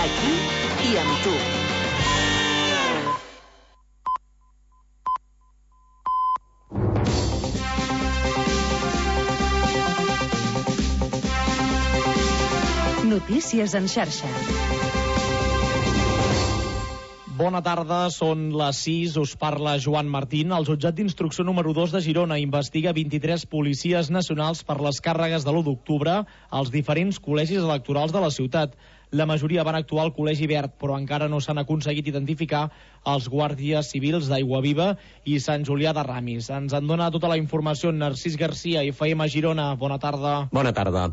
Aquí i amb tu. Notícies en xarxa. Bona tarda, són les 6, us parla Joan Martín. El jutjat d'instrucció número 2 de Girona investiga 23 policies nacionals per les càrregues de l'1 d'octubre als diferents col·legis electorals de la ciutat. La majoria van actuar al Col·legi Verd, però encara no s'han aconseguit identificar els guàrdies civils d'Aiguaviva i Sant Julià de Ramis. Ens en dona tota la informació Narcís Garcia, FM Girona. Bona tarda. Bona tarda.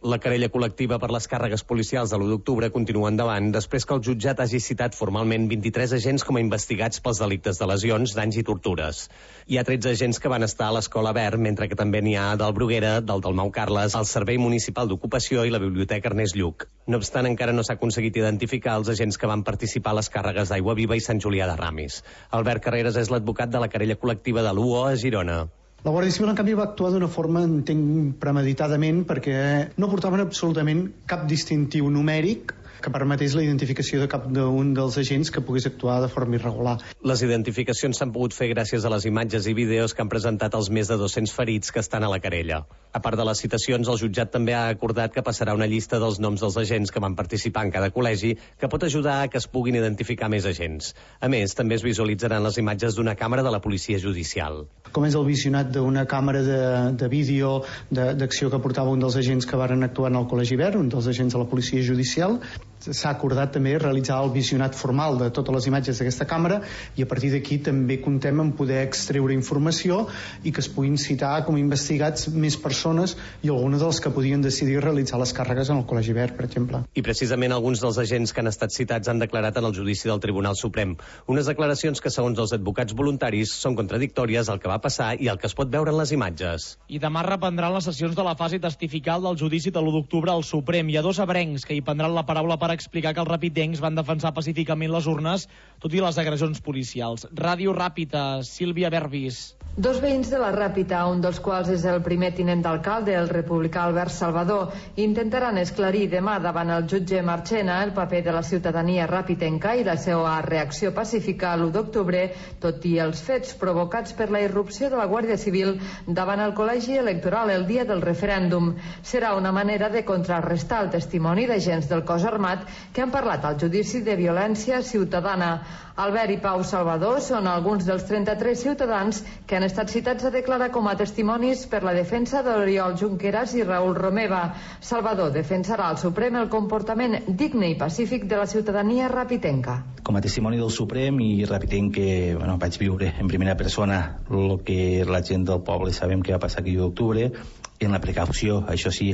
La querella col·lectiva per les càrregues policials de l'1 d'octubre continua endavant després que el jutjat hagi citat formalment 23 agents com a investigats pels delictes de lesions, danys i tortures. Hi ha 13 agents que van estar a l'Escola Verd, mentre que també n'hi ha del Bruguera, del Dalmau Carles, el Servei Municipal d'Ocupació i la Biblioteca Ernest Lluch. No obstant, encara no s'ha aconseguit identificar els agents que van participar a les càrregues d'Aiguaviva i Sant Julià de Ramis. Albert Carreras és l'advocat de la querella col·lectiva de l'UO a Girona. La Guàrdia Civil, en canvi, va actuar d'una forma, entenc, premeditadament, perquè no portaven absolutament cap distintiu numèric que permetés la identificació de cap d'un dels agents que pogués actuar de forma irregular. Les identificacions s'han pogut fer gràcies a les imatges i vídeos que han presentat els més de 200 ferits que estan a la querella. A part de les citacions, el jutjat també ha acordat que passarà una llista dels noms dels agents que van participar en cada col·legi, que pot ajudar a que es puguin identificar més agents. A més, també es visualitzaran les imatges d'una càmera de la policia judicial. Com és el visionat d'una càmera de vídeo d'acció que portava un dels agents que varen actuar en el Col·legi Verd, un dels agents de la policia judicial, s'ha acordat també realitzar el visionat formal de totes les imatges d'aquesta càmera i a partir d'aquí també comptem en poder extreure informació i que es puguin citar com a investigats més persones i algunes dels que podien decidir realitzar les càrregues en el Col·legi Verd, per exemple. I precisament alguns dels agents que han estat citats han declarat en el judici del Tribunal Suprem. Unes declaracions que, segons els advocats voluntaris, són contradictòries al que va passar i el que es pot veure en les imatges. I demà reprendran les sessions de la fase testifical del judici de l'1 d'octubre al Suprem. Hi ha dos ebrencs que hi prendran la paraula per explicar que els rapidencs van defensar pacíficament les urnes, tot i les agressions policials. Ràdio Ràpita, Sílvia Verbis. Dos veïns de la Ràpita, un dels quals és el primer tinent d'alcalde, el republicà Albert Salvador, intentaran esclarir demà davant el jutge Marchena el paper de la ciutadania ràpitenca i la seva reacció pacífica l'1 d'octubre, tot i els fets provocats per la irrupció de la Guàrdia Civil davant el col·legi electoral el dia del referèndum. Serà una manera de contrarrestar el testimoni d'agents del cos armat que han parlat al judici de violència ciutadana. Albert i Pau Salvador són alguns dels 33 ciutadans que han estat citats a declarar com a testimonis per la defensa d'Oriol Junqueras i Raül Romeva. Salvador defensarà al Suprem el comportament digne i pacífic de la ciutadania ràpitenca. Com a testimoni del Suprem i repetint que vaig viure en primera persona el que la gent del poble sabem que va passar aquí d'octubre, en la precaució, això sí,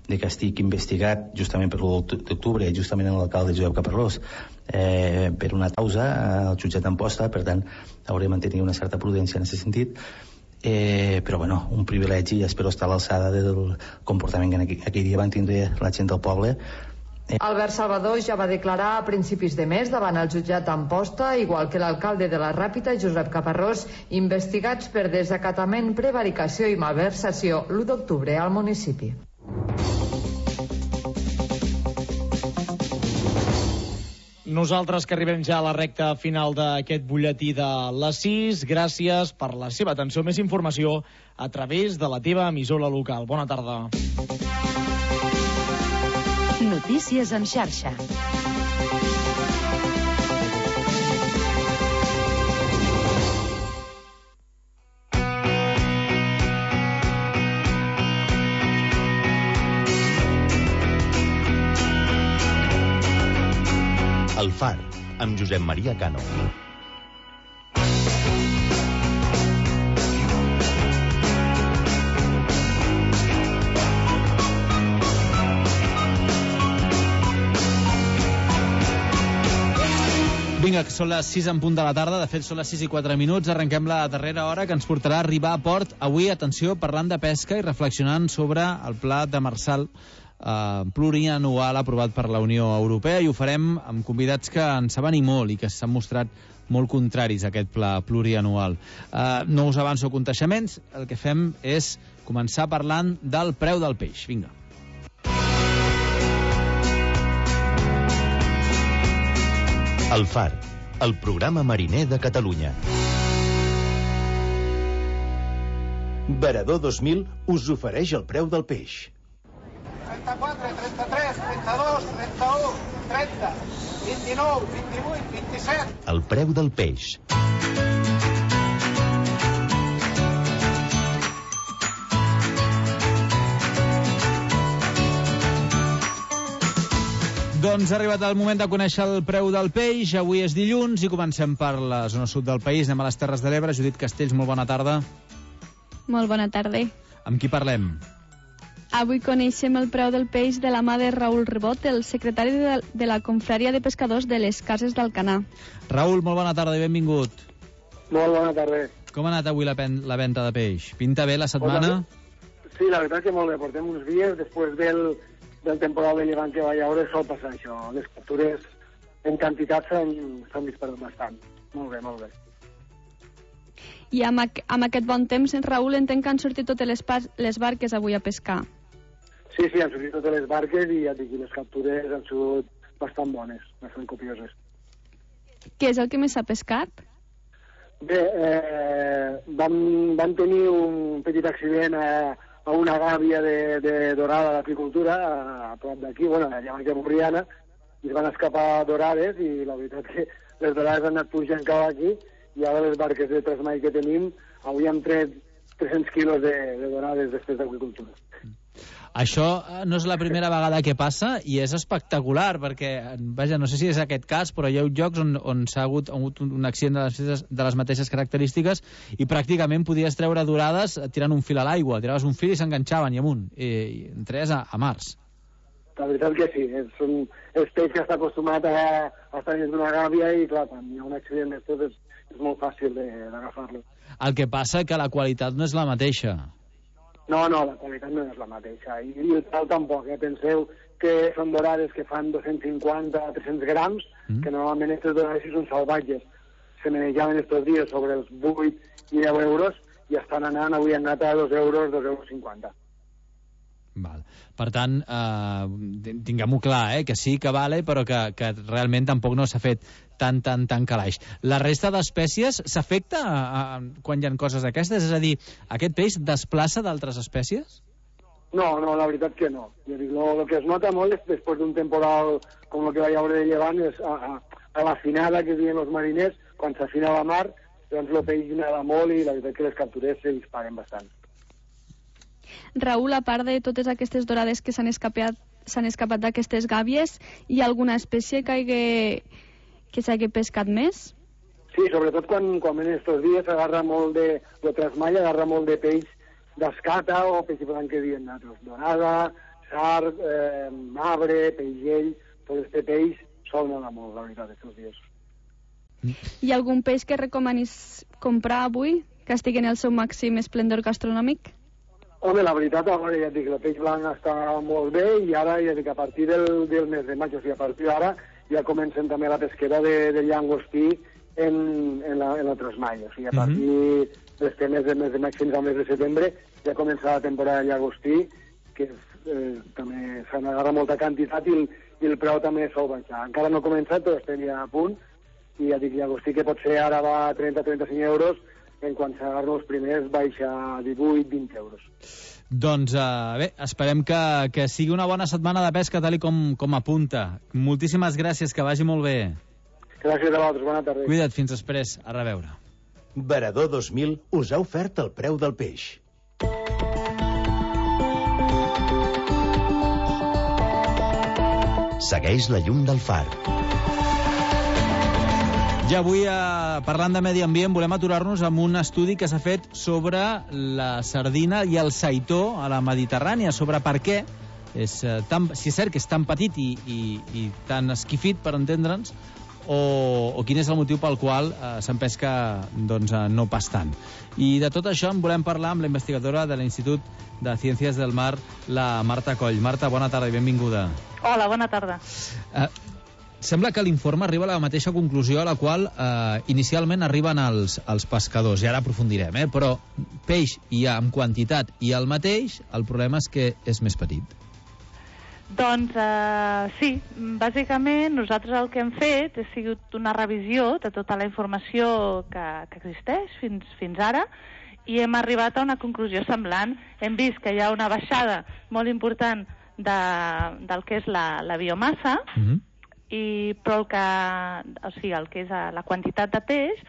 de que estic investigat justament per l'1 d'octubre, justament en l'alcalde Josep Caparrós, per una causa al jutjat d'Amposta, per tant hauré de mantenir una certa prudència en aquest sentit, però bueno, un privilegi i espero estar a l'alçada del comportament que aquell dia van tindre la gent del poble. Albert Salvador ja va declarar a principis de mes davant el jutjat d'Amposta, igual que l'alcalde de la Ràpita, Josep Caparrós, investigats per desacatament, prevaricació i malversació l'1 d'octubre al municipi. Nosaltres que arribem ja a la recta final d'aquest butlletí de les 6, gràcies per la seva atenció. Més informació a través de la teva emissora local. Bona tarda. Notícies en xarxa. El Far, amb Josep Maria Cano. Vinga, que són les 6 en punt de la tarda, de fet són les 6 i 4 minuts, arrenquem la darrera hora que ens portarà a arribar a port. Avui, atenció, parlant de pesca i reflexionant sobre el pla demersal plurianual aprovat per la Unió Europea, i ho farem amb convidats que en saben i molt i que s'han mostrat molt contraris a aquest pla plurianual. No us avanço coneixements, el que fem és començar parlant del preu del peix. Vinga. El Far, el programa mariner de Catalunya. Veredor 2000 us ofereix el preu del peix. 34, 33, 32, 31, 30, 29, 28, 27... El preu del peix. Doncs ha arribat el moment de conèixer el preu del peix. Avui és dilluns i comencem per la zona sud del país. Anem a les Terres de l'Ebre. Judit Castells, molt bona tarda. Molt bona tarda. Amb qui parlem? Avui coneixem el preu del peix de la mà de Raül Rebot, el secretari de la Confraria de Pescadors de les Cases d'Alcanar. Raül, molt bona tarda i benvingut. Molt bona tarda. Com ha anat avui la venda de peix? Pinta bé la setmana? Sí, la veritat que molt bé. Portem uns dies després del temporal de llevant que va haure, sol passar això. Les captures en quantitat s'han disparat bastant. Molt bé, molt bé. I amb aquest bon temps, Raül, entenc que han sortit totes les barques avui a pescar. Sí, han sortit totes les barques i ja dic, les captures han sigut bastant bones, bastant copioses. Què és el que més s'ha pescat? Bé, vam tenir un petit accident a una gàbia de dorada d'apicultura a prop d'aquí, allà a Borriana, i es van escapar dorades i la veritat que les dorades han anat pujant cap aquí i ara les barques de trasmai que tenim avui hem tret 300 quilos de dorades després d'apicultura. Això no és la primera vegada que passa i és espectacular perquè, vaja, no sé si és aquest cas, però hi ha llocs on s'ha hagut un accident de les mateixes característiques i pràcticament podies treure dorades tirant un fil a l'aigua. Tiraves un fil i s'enganxaven i amunt. I entraves a març. La veritat que sí. És peix que està acostumat a estar dins d'una gàbia i, clar, quan hi ha un accident d'estos és molt fàcil d'agafar-lo. El que passa que la qualitat no és la mateixa. No, la qualitat no és la mateixa. I el preu tampoc, Penseu que són dorades que fan 250-300 grams, que normalment aquestes dorades són salvatges. Se manejaven estos dies sobre els 8 i 10 euros i estan anant, avui han anat a 2 euros, 2,50 euros. Val. Per tant, tinguem-ho clar, que sí que vale, però que realment tampoc no s'ha fet tan calaix. La resta d'espècies s'afecta quan hi ha coses d'aquestes? És a dir, aquest peix desplaça d'altres espècies? No, la veritat que no. El que es nota molt és després d'un temporal com el que va haure de llevant és a l'afinada que diuen els mariners, quan s'afina la mar, doncs el peix nada molt i la veritat que les captures se disparen bastant. Raül, a part de totes aquestes dorades que s'han escapat d'aquestes gàbies, hi ha alguna espècie que s'hagi pescat més? Sí, sobretot quan en estos dies s'agarra molt de trasmall, agarra molt de peix d'escata o peix blanc que diuen nosaltres. Dorada, sard, marbre, peixell, tot este peix sol anar molt, la veritat, estos dies. Hi ha algun peix que recomanis comprar avui, que estigui en el seu màxim esplendor gastronòmic? Home, la veritat, ara ja et dic, el peix blanc està molt bé i ara ja dic, a partir del mes de maig, o sigui, a partir d'ara ja comencen també la pesquera de llangostí en la trasmall. O sigui, a partir d'este mes de maig fins al mes de setembre ja comença la temporada de llagostí, que també se n'agarra molta quantitat i el preu també sol baixar. Encara no ha començat, però estem ja a punt i ja dic, llagostí que potser ara va a 30-35 euros, en quan s'agarren els primers baixa a 18-20 euros. Doncs bé, esperem que sigui una bona setmana de pesca tal com apunta. Moltíssimes gràcies, que vagi molt bé. Gràcies a vosaltres, bona tarda. Cuida't, fins després, a reveure. Veredor 2000 us ha ofert el preu del peix. Segueix la llum del far. I avui, parlant de medi ambient, volem aturar-nos amb un estudi que s'ha fet sobre la sardina i el seitó a la Mediterrània, sobre per què, si és cert que és tan petit i tan esquifit, per entendre'ns, o quin és el motiu pel qual se'n pesca no pas tant. I de tot això en volem parlar amb la investigadora de l'Institut de Ciències del Mar, la Marta Coll. Marta, bona tarda i benvinguda. Hola, bona tarda. Sembla que l'informe arriba a la mateixa conclusió a la qual inicialment arriben els pescadors, i ara aprofundirem, però peix hi ha en quantitat i el mateix, el problema és que és més petit. Doncs sí, bàsicament nosaltres el que hem fet ha sigut una revisió de tota la informació que existeix fins ara i hem arribat a una conclusió semblant. Hem vist que hi ha una baixada molt important del que és la biomassa, però el que és la quantitat de peix,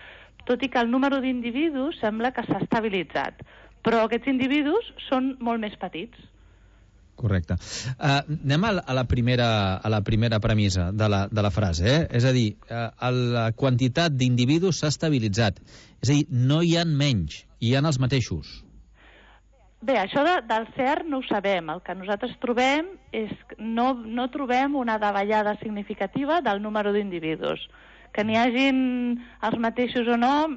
tot i que el número d'individus sembla que s'ha estabilitzat. Però aquests individus són molt més petits. Correcte. Anem a la primera premissa de la frase, És a dir, la quantitat d'individus s'ha estabilitzat. És a dir, no hi ha menys, hi ha els mateixos. Bé, això del cert no ho sabem. El que nosaltres trobem és que no trobem una davallada significativa del número d'individus. Que n'hi hagin els mateixos o no,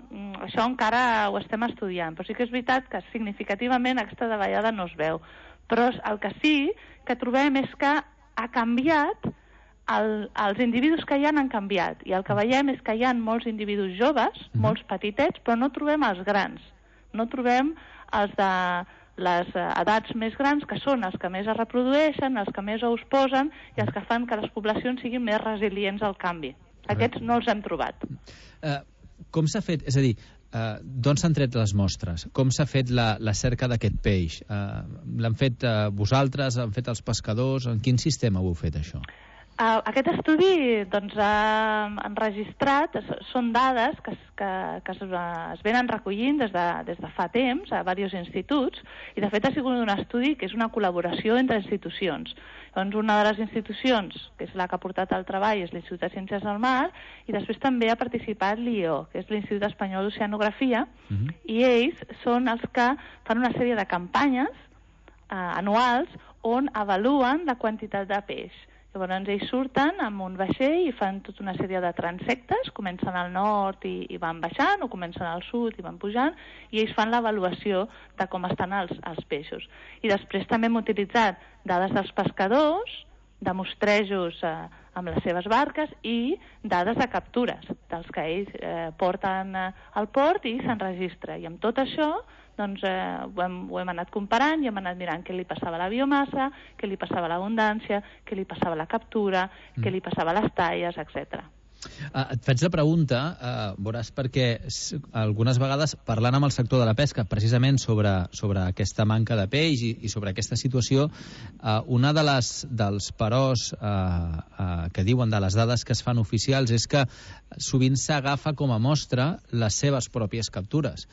això encara ho estem estudiant. Però sí que és veritat que significativament aquesta davallada no es veu. Però el que sí que trobem és que ha canviat, els individus que hi han canviat, i el que veiem és que hi ha molts individus joves, molts petitets, però no trobem els grans. No trobem els de les edats més grans, que són els que més es reprodueixen, els que més ous posen i els que fan que les poblacions siguin més resilients al canvi. Aquests no els hem trobat. Com s'ha fet? És a dir, d'on s'han tret les mostres? Com s'ha fet la cerca d'aquest peix? L'han fet vosaltres? L'han fet els pescadors? En quin sistema ho heu fet, això? Aquest estudi ha enregistrat, són dades que es venen recollint des de fa temps a diversos instituts, i de fet ha sigut un estudi que és una col·laboració entre institucions. Doncs una de les institucions, que és la que ha portat el treball, és l'Institut de Ciències del Mar, i després també ha participat l'IO, que és l'Institut Espanyol d'Oceanografia, i ells són els que fan una sèrie de campanyes anuals on avaluen la quantitat de peix. Llavors ells surten amb un vaixell i fan tota una sèrie de transectes, comencen al nord i van baixant, o comencen al sud i van pujant, i ells fan l'avaluació de com estan els peixos. I després també hem utilitzat dades dels pescadors, de mostrejos amb les seves barques i dades de captures, dels que ells porten al port i s'enregistra. I amb tot això doncs ho hem anat comparant i hem anat mirant què li passava a la biomassa, què li passava a l'abundància, què li passava a la captura, què li passava a les talles, etc. Et faig la pregunta, veuràs, perquè algunes vegades parlant amb el sector de la pesca precisament sobre aquesta manca de peix i sobre aquesta situació, una dels peròs que diuen de les dades que es fan oficials és que sovint s'agafa com a mostra les seves pròpies captures.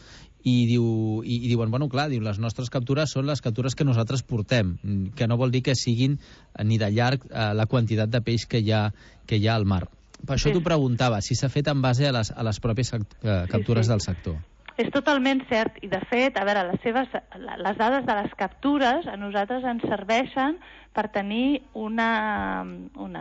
I diuen, bueno, clar, les nostres captures són les captures que nosaltres portem, que no vol dir que siguin ni de llarg la quantitat de peix que hi ha al mar. Per això t'ho preguntava, si s'ha fet en base a les pròpies captures del sector. És totalment cert, i de fet, a veure, les dades de les captures a nosaltres ens serveixen per tenir una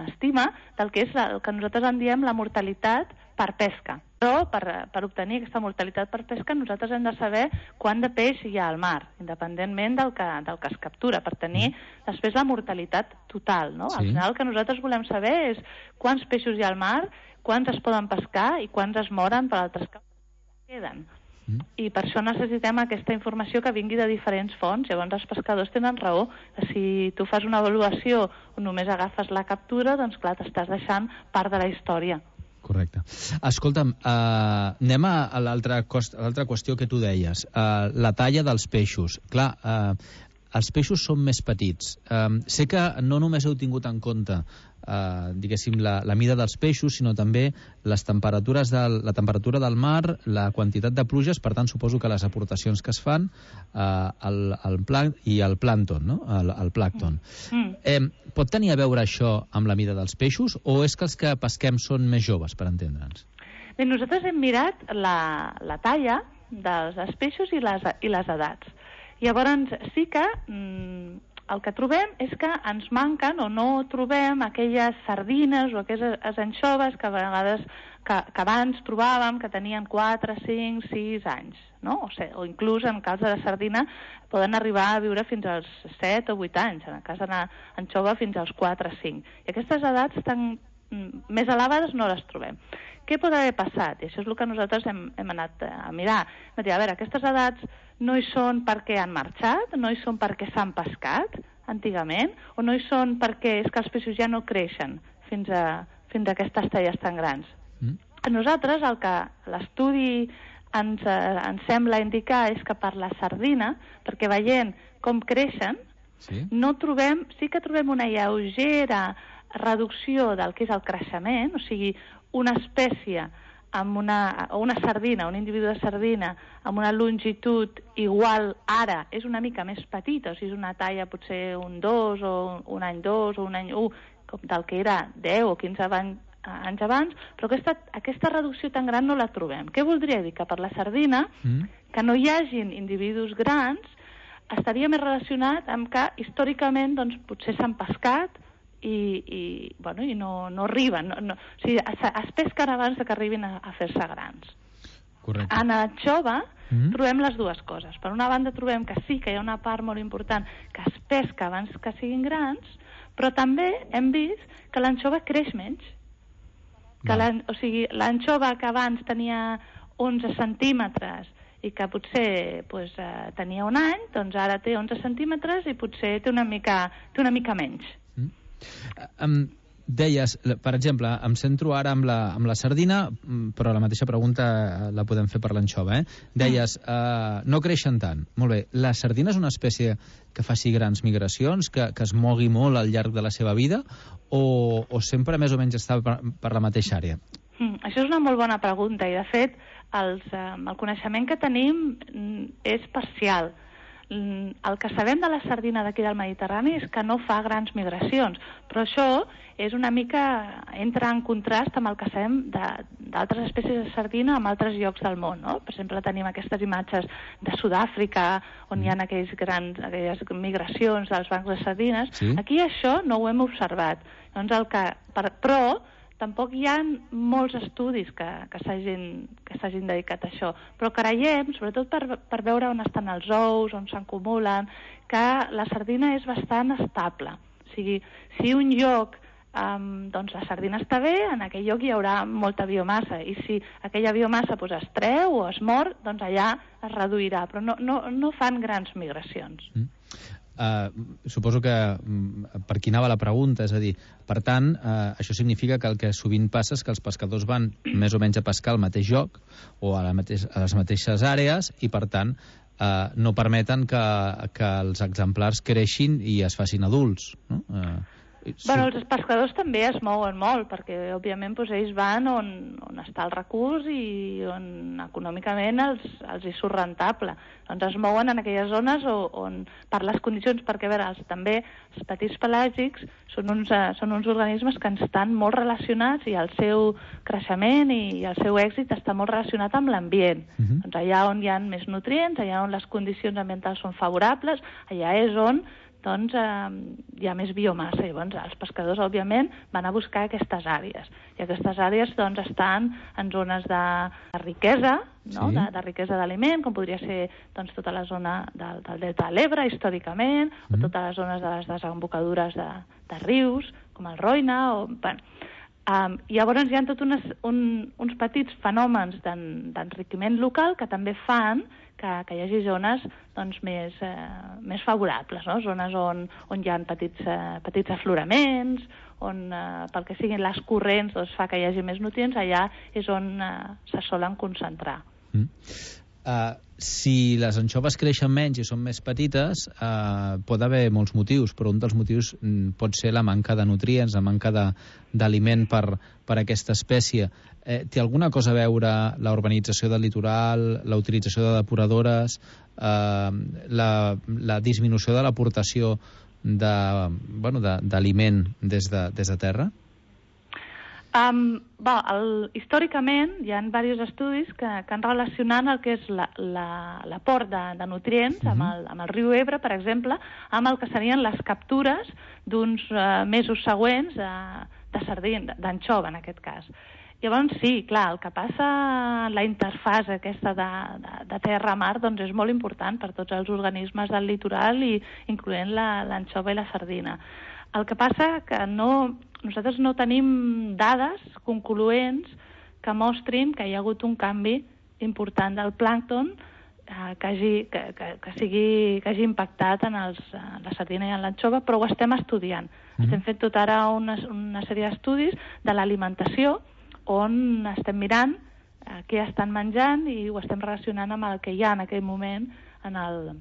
estima del que és el que nosaltres en diem la mortalitat per pesca. Però per obtenir aquesta mortalitat per pesca nosaltres hem de saber quant de peix hi ha al mar, independentment del que es captura, per tenir després la mortalitat total, no? Al final el que nosaltres volem saber és quants peixos hi ha al mar, quants es poden pescar i quants es moren per altres captures que queden. I per això necessitem aquesta informació que vingui de diferents fonts. Llavors els pescadors tenen raó. Si tu fas una avaluació on només agafes la captura, doncs clar, t'estàs deixant part de la història. Correcte. Escolta'm, anem a l'altra qüestió que tu deies, la talla dels peixos. Clar, els peixos són més petits. Sé que no només heu tingut en compte diguéssim, la mida dels peixos, sinó també la temperatura del mar, la quantitat de pluges, per tant suposo que les aportacions que es fan i el plàncton, no? El plàncton. Pot tenir a veure això amb la mida dels peixos, o és que els que pesquem són més joves, per entendre'ns? Bé, nosaltres hem mirat la talla dels peixos i les edats. Llavors sí que el que trobem és que ens manquen o no trobem aquelles sardines o aquelles anxoves que a vegades que abans trobàvem que tenien 4, 5, 6 anys, no? O inclús en cas de la sardina poden arribar a viure fins als 7 o 8 anys, en el cas de l'anxova fins als 4 o 5. I aquestes edats tan més elevades no les trobem. Què pot haver passat? I això és el que nosaltres hem anat a mirar. A veure, aquestes edats no hi són perquè han marxat, no hi són perquè s'han pescat. antigament, o no hi són perquè és que els peixos ja no creixen fins a aquestes talles tan grans? A nosaltres el que l'estudi ens sembla indicar és que per la sardina, perquè veient com creixen, sí que trobem una lleugera reducció del que és el creixement, o sigui, una espècie amb una sardina, un individu de sardina amb una longitud igual ara és una mica més petita, o sigui, és una talla potser un 2 o un any 2 o un any 1, com del que era 10 o 15 anys abans, però aquesta reducció tan gran no la trobem. Què voldria dir? Que per la sardina, que no hi hagin individus grans, estaria més relacionat amb que històricament doncs, potser s'han pescat i no arriben. O sigui, es pesquen abans que arribin a fer-se grans. Correcte. En l'anxova trobem les dues coses. Per una banda trobem que sí que hi ha una part molt important que es pesca abans que siguin grans, però també hem vist que l'anxova creix menys. O sigui, l'anxova que abans tenia 11 centímetres i que potser tenia un any, doncs ara té 11 centímetres i potser té una mica menys. Deies, per exemple, em centro ara amb la sardina, però la mateixa pregunta la podem fer per l'anxova, Deies, no creixen tant. Molt bé, la sardina és una espècie que faci grans migracions, que es mogui molt al llarg de la seva vida, o sempre més o menys està per la mateixa àrea? Això és una molt bona pregunta, i de fet el coneixement que tenim és parcial. El que sabem de la sardina d'aquí del Mediterrani és que no fa grans migracions, però això és una mica, entra en contrast amb el que sabem d'altres espècies de sardina en altres llocs del món, no? Per exemple, tenim aquestes imatges de Sud-àfrica, on hi ha aquelles migracions dels bancs de sardines. Sí. Aquí això no ho hem observat. Doncs però tampoc hi ha molts estudis que s'hagin dedicat a això, però creiem, sobretot per veure on estan els ous, on s'acumulen, que la sardina és bastant estable. O sigui, si un lloc doncs la sardina està bé, en aquell lloc hi haurà molta biomassa, i si aquella biomassa es treu o es mor, doncs allà es reduirà, però no fan grans migracions. Suposo que per aquí anava la pregunta, és a dir, per tant, això significa que el que sovint passa és que els pescadors van més o menys a pescar al mateix lloc o a les mateixes àrees i, per tant, no permeten que els exemplars creixin i es facin adults, no? Bueno, els pescadors també es mouen molt, perquè, òbviament, ells van on està el recurs i on econòmicament els hi surt rentable. Doncs es mouen en aquelles zones on per les condicions, perquè, a veure, també els petits pelàgics són uns organismes que estan molt relacionats i el seu creixement i el seu èxit està molt relacionat amb l'ambient. Doncs allà on hi ha més nutrients, allà on les condicions ambientals són favorables, allà és on doncs hi ha més biomassa. Llavors els pescadors, òbviament, van a buscar aquestes àrees. I aquestes àrees doncs estan en zones de riquesa, no? Sí. De riquesa d'aliment, com podria ser doncs, tota la zona del delta de l'Ebre, històricament, o totes les zones de les desembocadures de rius, com el Roine, llavors hi ha tots uns petits fenòmens d'enriquiment local que també fan que hi hagi zones doncs, més favorables, no? Zones on hi ha petits afloraments, on pel que siguin les corrents doncs, fa que hi hagi més nutrients, allà és on se solen concentrar. Si les anxoves creixen menys i són més petites, pot haver molts motius, però un dels motius pot ser la manca de nutrients, la manca d'aliment per aquesta espècie. Té alguna cosa a veure la urbanització del litoral, la utilització de depuradores, la disminució de l'aportació d'aliment des de terra? Històricament hi ha diversos estudis que han relacionat el que és l'aport de nutrients amb el riu Ebre, per exemple, amb el que serien les captures d'uns mesos següents de sardina, d'anxova en aquest cas. Llavors sí, clar, el que passa la interfase aquesta de terra-mar doncs és molt important per tots els organismes del litoral, incloent l'anxova i la sardina. El que passa que nosaltres no tenim dades concloents que mostrin que hi ha hagut un canvi important del plàncton que hagi impactat en la sardina i en l'anxova, però ho estem estudiant. Estem fent tot ara una sèrie d'estudis de l'alimentació on estem mirant què estan menjant i ho estem relacionant amb el que hi ha en aquell moment en el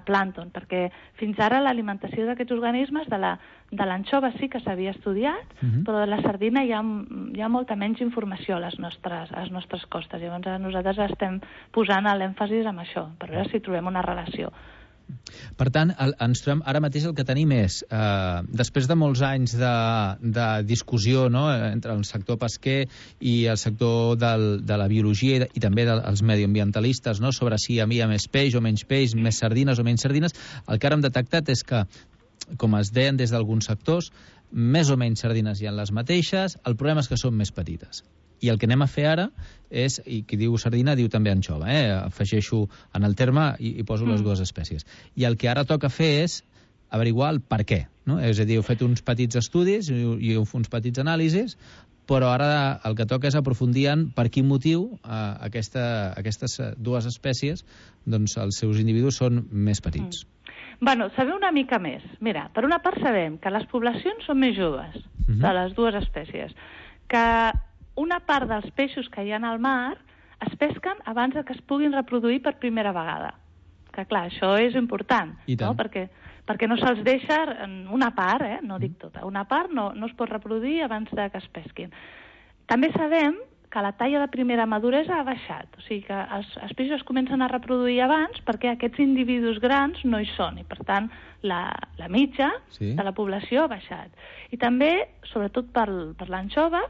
plàncton, perquè fins ara l'alimentació d'aquests organismes, de l'anxova sí que s'havia estudiat, però de la sardina hi ha molta menys informació a les nostres costes. Llavors nosaltres estem posant l'èmfasis en això, per veure si trobem una relació. Per tant, ens trobem ara mateix el que tenim és, després de molts anys de discussió, no?, entre el sector pesquer i el sector de la biologia i també dels mediambientalistes, no?, sobre si hi havia més peix o menys peix, més sardines o menys sardines, el que ara hem detectat és que, com es deien des d'alguns sectors, més o menys sardines hi ha les mateixes, el problema és que són més petites. I el que anem a fer ara és, i qui diu sardina diu també anxova, afegeixo en el terme i poso les dues espècies. I el que ara toca fer és averiguar el per què, no? És a dir, heu fet uns petits estudis i uns petits anàlisis, però ara el que toca és aprofundir en per quin motiu aquestes dues espècies, doncs els seus individus són més petits. Bueno, saber una mica més. Mira, per una part sabem que les poblacions són més joves de les dues espècies, que una part dels peixos que hi ha al mar es pesquen abans que es puguin reproduir per primera vegada. Que clar, això és important, no? Perquè no se'ls deixa una part, no dic tota, una part no es pot reproduir abans que es pesquin. També sabem que la talla de primera maduresa ha baixat, o sigui que els peixos es comencen a reproduir abans perquè aquests individus grans no hi són, i per tant la mitja de la població ha baixat. I també, sobretot per l'anxova,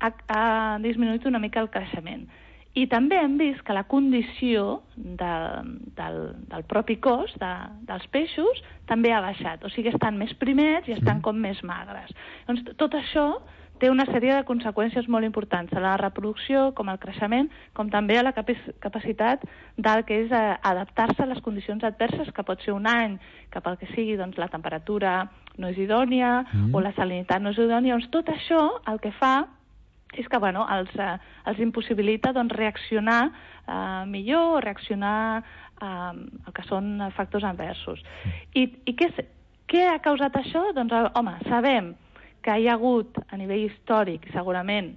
ha disminuït una mica el creixement. I també hem vist que la condició del propi cos dels peixos també ha baixat, o sigui, estan més primets i estan com més magres. Doncs tot això té una sèrie de conseqüències molt importants a la reproducció, com el creixement, com també a la capacitat del que és adaptar-se a les condicions adverses, que pot ser un any, que pel que sigui doncs, la temperatura no és idònia o la salinitat no és idònia. Doncs tot això el que fa és que els impossibilita reaccionar millor o reaccionar al que són factors adversos. I què ha causat això? Doncs, home, sabem que hi ha hagut a nivell històric, segurament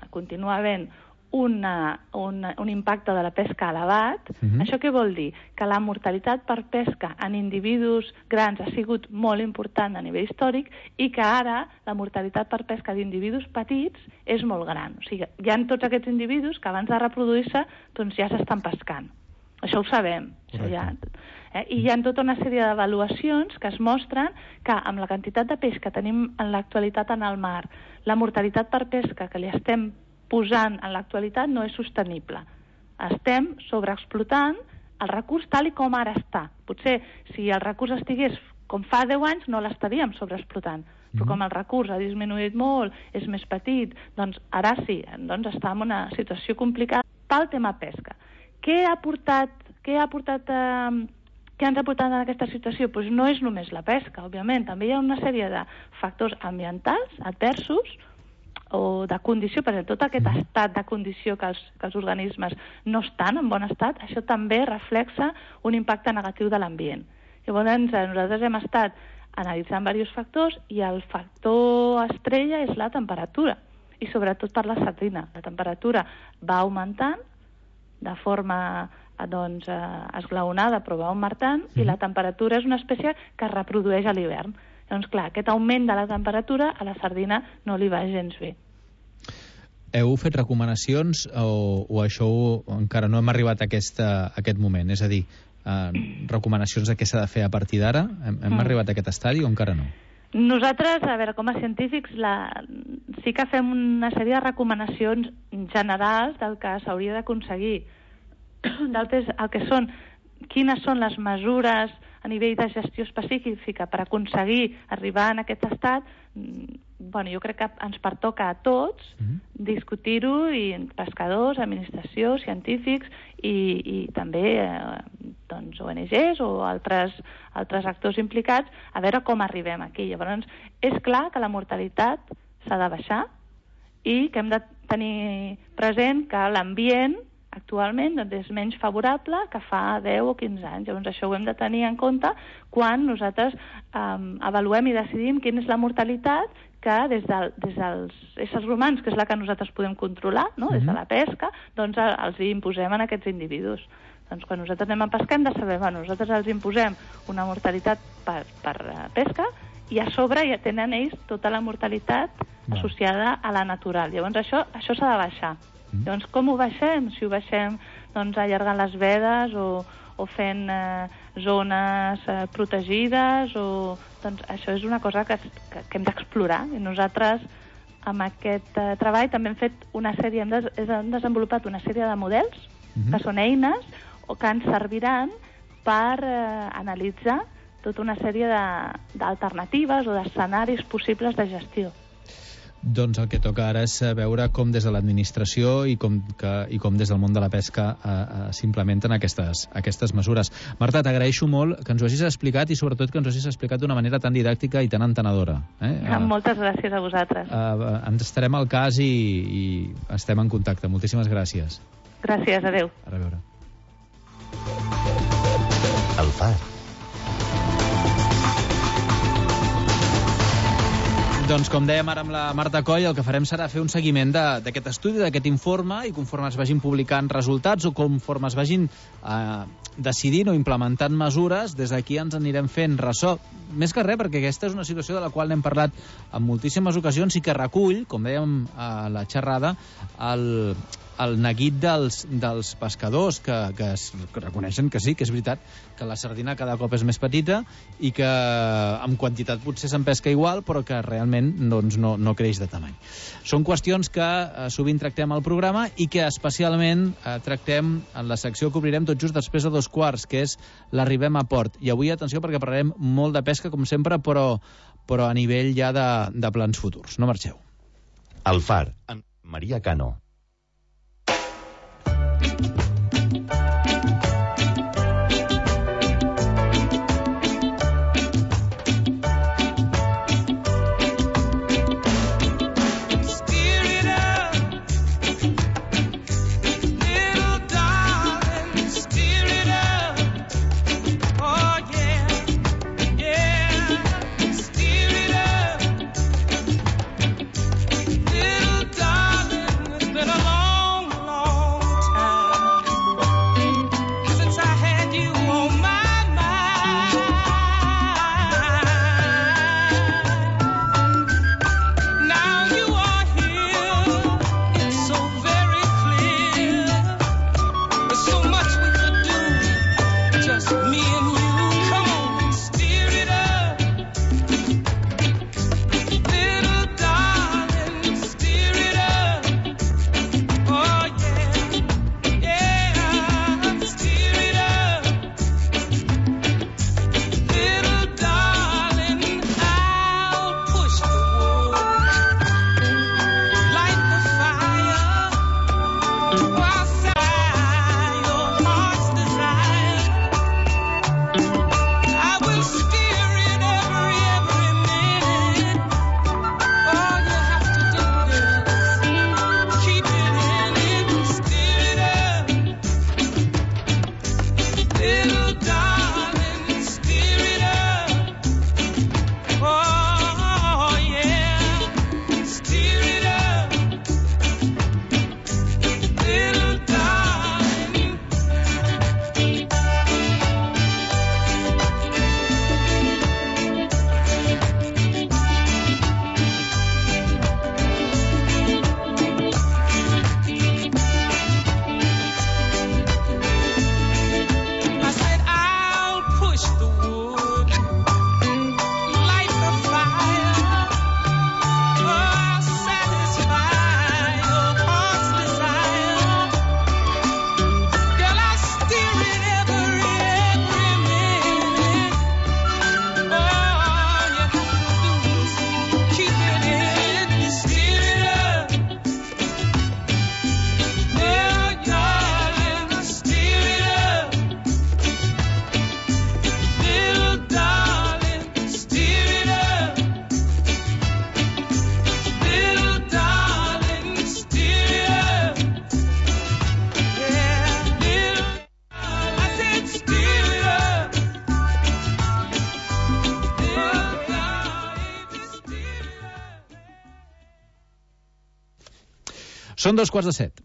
continua havent un impacte de la pesca elevat. Això què vol dir? Que la mortalitat per pesca en individus grans ha sigut molt important a nivell històric i que ara la mortalitat per pesca d'individus petits és molt gran. O sigui, hi ha tots aquests individus que abans de reproduir-se doncs ja s'estan pescant. Això ho sabem. I hi ha tota una sèrie d'avaluacions que es mostren que amb la quantitat de peix que tenim en l'actualitat en el mar, la mortalitat per pesca que li estem posant en l'actualitat no és sostenible. Estem sobreexplotant el recurs tal i com ara està. Potser si el recurs estigués com fa 10 anys no l'estaríem sobreexplotant, però com el recurs ha disminuït molt, és més petit, doncs ara sí, doncs està en una situació complicada pel tema pesca. Què ens ha portat en aquesta situació? Doncs no és només la pesca, òbviament, també hi ha una sèrie de factors ambientals adversos o de condició, per exemple, tot aquest estat de condició que els organismes no estan en bon estat, això també reflexa un impacte negatiu de l'ambient. Llavors, nosaltres hem estat analitzant diversos factors i el factor estrella és la temperatura, i sobretot per la sardina. La temperatura va augmentant de forma esglaonada, però va augmentant, i la temperatura és una espècie que es reprodueix a l'hivern. Doncs clar, aquest augment de la temperatura a la sardina no li va gens bé. Heu fet recomanacions o això encara no hem arribat a aquest moment? És a dir, recomanacions de què s'ha de fer a partir d'ara? Hem arribat a aquest estadi o encara no? Nosaltres, a veure, com a científics, sí que fem una sèrie de recomanacions generals del que s'hauria d'aconseguir. D'altres, el que són, quines són les mesures a nivell de gestió específica per aconseguir arribar en aquest estat, jo crec que ens pertoca a tots discutir-ho, i pescadors, administració, científics i també ONGs o altres actors implicats, a veure com arribem aquí. Llavors, és clar que la mortalitat s'ha de baixar i que hem de tenir present que l'ambient actualment doncs és menys favorable que fa 10 o 15 anys. Llavors això ho hem de tenir en compte quan nosaltres avaluem i decidim quina és la mortalitat que des dels éssers humans, que és la que nosaltres podem controlar, no? Des de la pesca, doncs els imposem a aquests individus. Doncs quan nosaltres anem a pescar hem de saber, nosaltres els imposem una mortalitat per pesca i a sobre ja tenen ells tota la mortalitat associada a la natural. Llavors això s'ha de baixar. Llavors com ho baixem? Si ho baixem doncs allargant les vedes o fent zones protegides doncs això és una cosa que hem d'explorar i nosaltres amb aquest treball també hem fet hem desenvolupat una sèrie de models que són eines o que ens serviran per analitzar tota una sèrie d'alternatives o d'escenaris possibles de gestió. Doncs el que toca ara és veure com des de l'administració i com des del món de la pesca s'implementen aquestes mesures. Marta, t'agraeixo molt que ens ho hagis explicat i sobretot que ens ho hagis explicat d'una manera tan didàctica i tan entenedora. Moltes gràcies a vosaltres. Ens estarem al cas i estem en contacte. Moltíssimes gràcies. Gràcies, adeu. A reveure. El Far. Doncs com dèiem ara amb la Marta Coll, el que farem serà fer un seguiment d'aquest estudi, d'aquest informe, i conforme es vagin publicant resultats o conforme es vagin decidint o implementant mesures, des d'aquí ens anirem fent ressò. Més que res, perquè aquesta és una situació de la qual n'hem parlat en moltíssimes ocasions i que recull, com dèiem a la xerrada, el neguit dels pescadors que reconeixen que sí, que és veritat que la sardina cada cop és més petita i que en quantitat potser se'n pesca igual, però que realment doncs, no creix de tamany. Són qüestions que sovint tractem al programa i que especialment tractem en la secció que obrirem tot just després de 2:15, que és l'Arribem a Port. I avui, atenció, perquè parlarem molt de pesca, com sempre, però a nivell ja de plans futurs. No marxeu. El Far, amb Maria Cano. Són 2:45.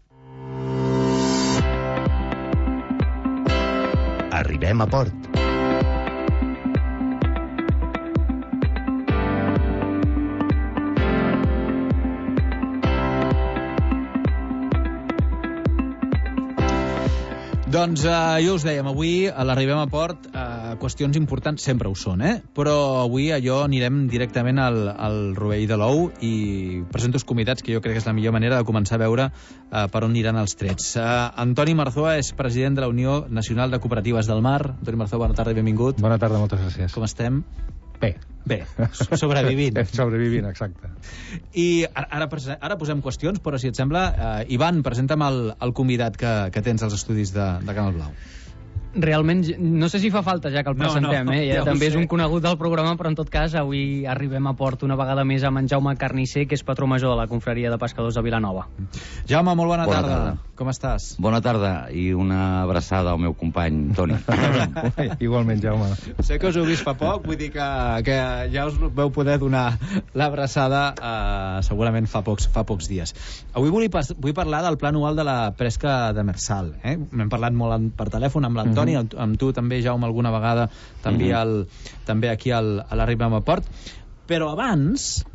Arribem a port. Doncs jo us dèiem, avui a l'Arribem a Port qüestions importants sempre ho són, però avui anirem directament al rovell de l'ou i presento els convidats, que jo crec que és la millor manera de començar a veure per on aniran els trets. Antoni Marzoa és president de la Unió Nacional de Cooperatives del Mar. Antoni Marzoa, bona tarda i benvingut. Bona tarda, moltes gràcies. Com estem? Bé, sobrevivint. Sobrevivint, exacte. I ara posem qüestions, però si et sembla, Ivan, presenta'm el convidat que tens als estudis de Canal Blau. Realment, no sé si fa falta ja que el presentem, ja també és un conegut del programa, però en tot cas avui arribem a port una vegada més amb en Jaume Carnisser, que és patró major de la Confraria de Pescadors de Vilanova. Jaume, molt bona tarda. Com estàs? Bona tarda i una abraçada al meu company Toni. Igualment, Jaume. Sé que us heu vist fa poc, vull dir que ja us veu poder donar l'abraçada segurament fa pocs dies. Avui vull parlar del pla anual de la pesca demersal. N'hem parlat molt per telèfon amb l'Antoni, amb tu també, Jaume, alguna vegada també aquí a l'Arribem a Port. Però abans,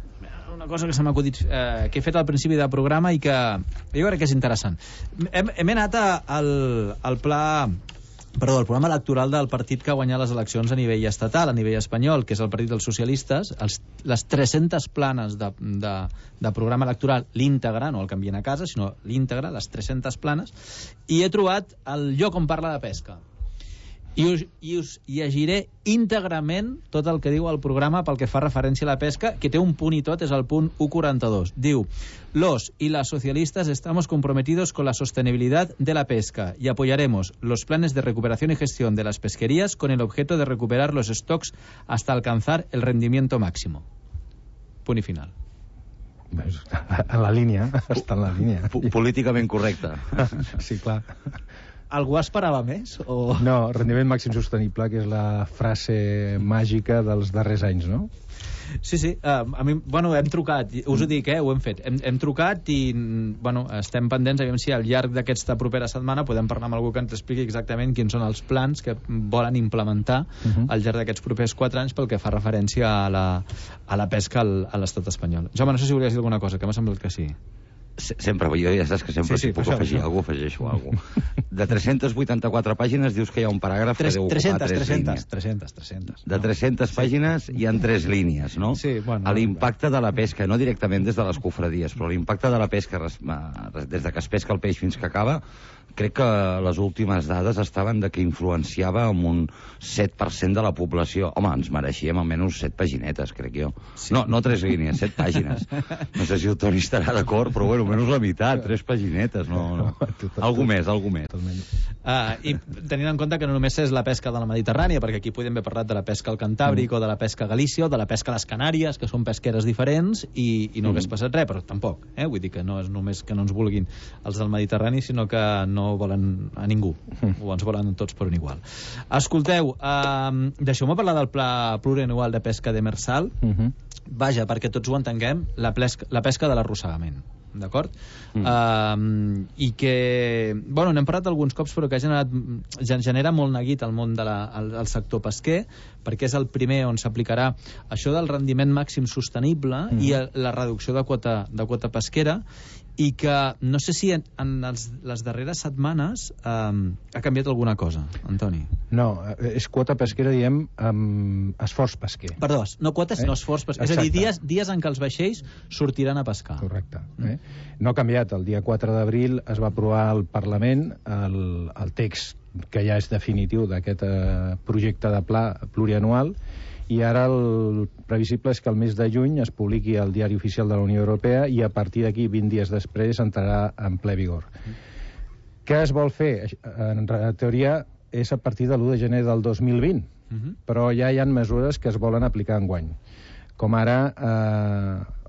una cosa que se m'ha acudit, que he fet al principi del programa i que jo crec que és interessant. Hem anat al programa electoral del partit que ha guanyat les eleccions a nivell estatal, a nivell espanyol, que és el Partit dels Socialistes, les 300 planes de programa electoral, l'íntegre, no el canvien a casa, sinó l'íntegre, les 300 planes, i he trobat el lloc on parla de pesca. I us llegiré íntegrament tot el que diu el programa pel que fa referència a la pesca, que té un punt i tot, és el punt 142. Diu: los y las socialistas estamos comprometidos con la sostenibilidad de la pesca y apoyaremos los planes de recuperación y gestión de las pesquerías con el objeto de recuperar los stocks hasta alcanzar el rendimiento máximo. Punt i final. En la línia, està en la línia. Políticament correcte. Sí, clar. Algú esperava més? O... No, rendiment màxim sostenible, que és la frase màgica dels darrers anys, no? Sí, a mi, hem trucat, us ho dic, ho hem fet, hem trucat i, estem pendents, aviam si al llarg d'aquesta propera setmana podem parlar amb algú que ens expliqui exactament quins són els plans que volen implementar al llarg d'aquests propers 4 anys pel que fa referència a la pesca a l'estat espanyol. Jaume, no sé si volies dir alguna cosa, que m'ha semblat que sí. Sempre, jo ja saps que sempre si puc afegir alguna cosa, afegeixo alguna cosa. De 384 pàgines dius que hi ha un paràgraf que deu ocupar 3 línies. 300. De 300 pàgines hi ha 3 línies, no? Sí, l'impacte de la pesca, no directament des de les cofradies, però l'impacte de la pesca des de que es pesca el peix fins que acaba, crec que les últimes dades estaven de que influenciava amb un 7% de la població. Home, ens mereixíem almenys 7 paginetes, crec jo. Sí. No 3 línies, 7 pàgines. No sé si el Toni estarà d'acord, però almenys la meitat, 3 paginetes. No. Algú més. I tenint en compte que no només és la pesca de la Mediterrània, perquè aquí podem haver parlat de la pesca al Cantàbric o de la pesca a Galícia o de la pesca a les Canàries, que són pesqueres diferents i no hagués passat res, però tampoc. Vull dir que no és només que no ens vulguin els del Mediterrani, sinó que no volen a ningú, o ens volen tots per un igual. Escolteu, deixeu-me parlar del pla plurianual de pesca demersal. Vaja, perquè tots ho entenguem, la pesca de l'arrossegament. D'acord? I que, n'hem parlat alguns cops, però que genera molt neguit al món del sector pesquer, perquè és el primer on s'aplicarà això del rendiment màxim sostenible i la reducció de quota pesquera, i que no sé si en les darreres setmanes ha canviat alguna cosa, Antoni. No, és quota pesquera, diem, amb esforç pesquer. Perdó, no quotes, sinó esforç pesquer. És a dir, dies en què els vaixells sortiran a pescar. Correcte. No ha canviat. El dia 4 d'abril es va aprovar al Parlament el text que ja és definitiu d'aquest projecte de pla plurianual, i ara el previsible és que el mes de juny es publiqui al Diari Oficial de la Unió Europea i a partir d'aquí, 20 dies després, entrarà en ple vigor. Què es vol fer? En teoria és a partir de l'1 de gener del 2020, però ja hi ha mesures que es volen aplicar enguany. Com ara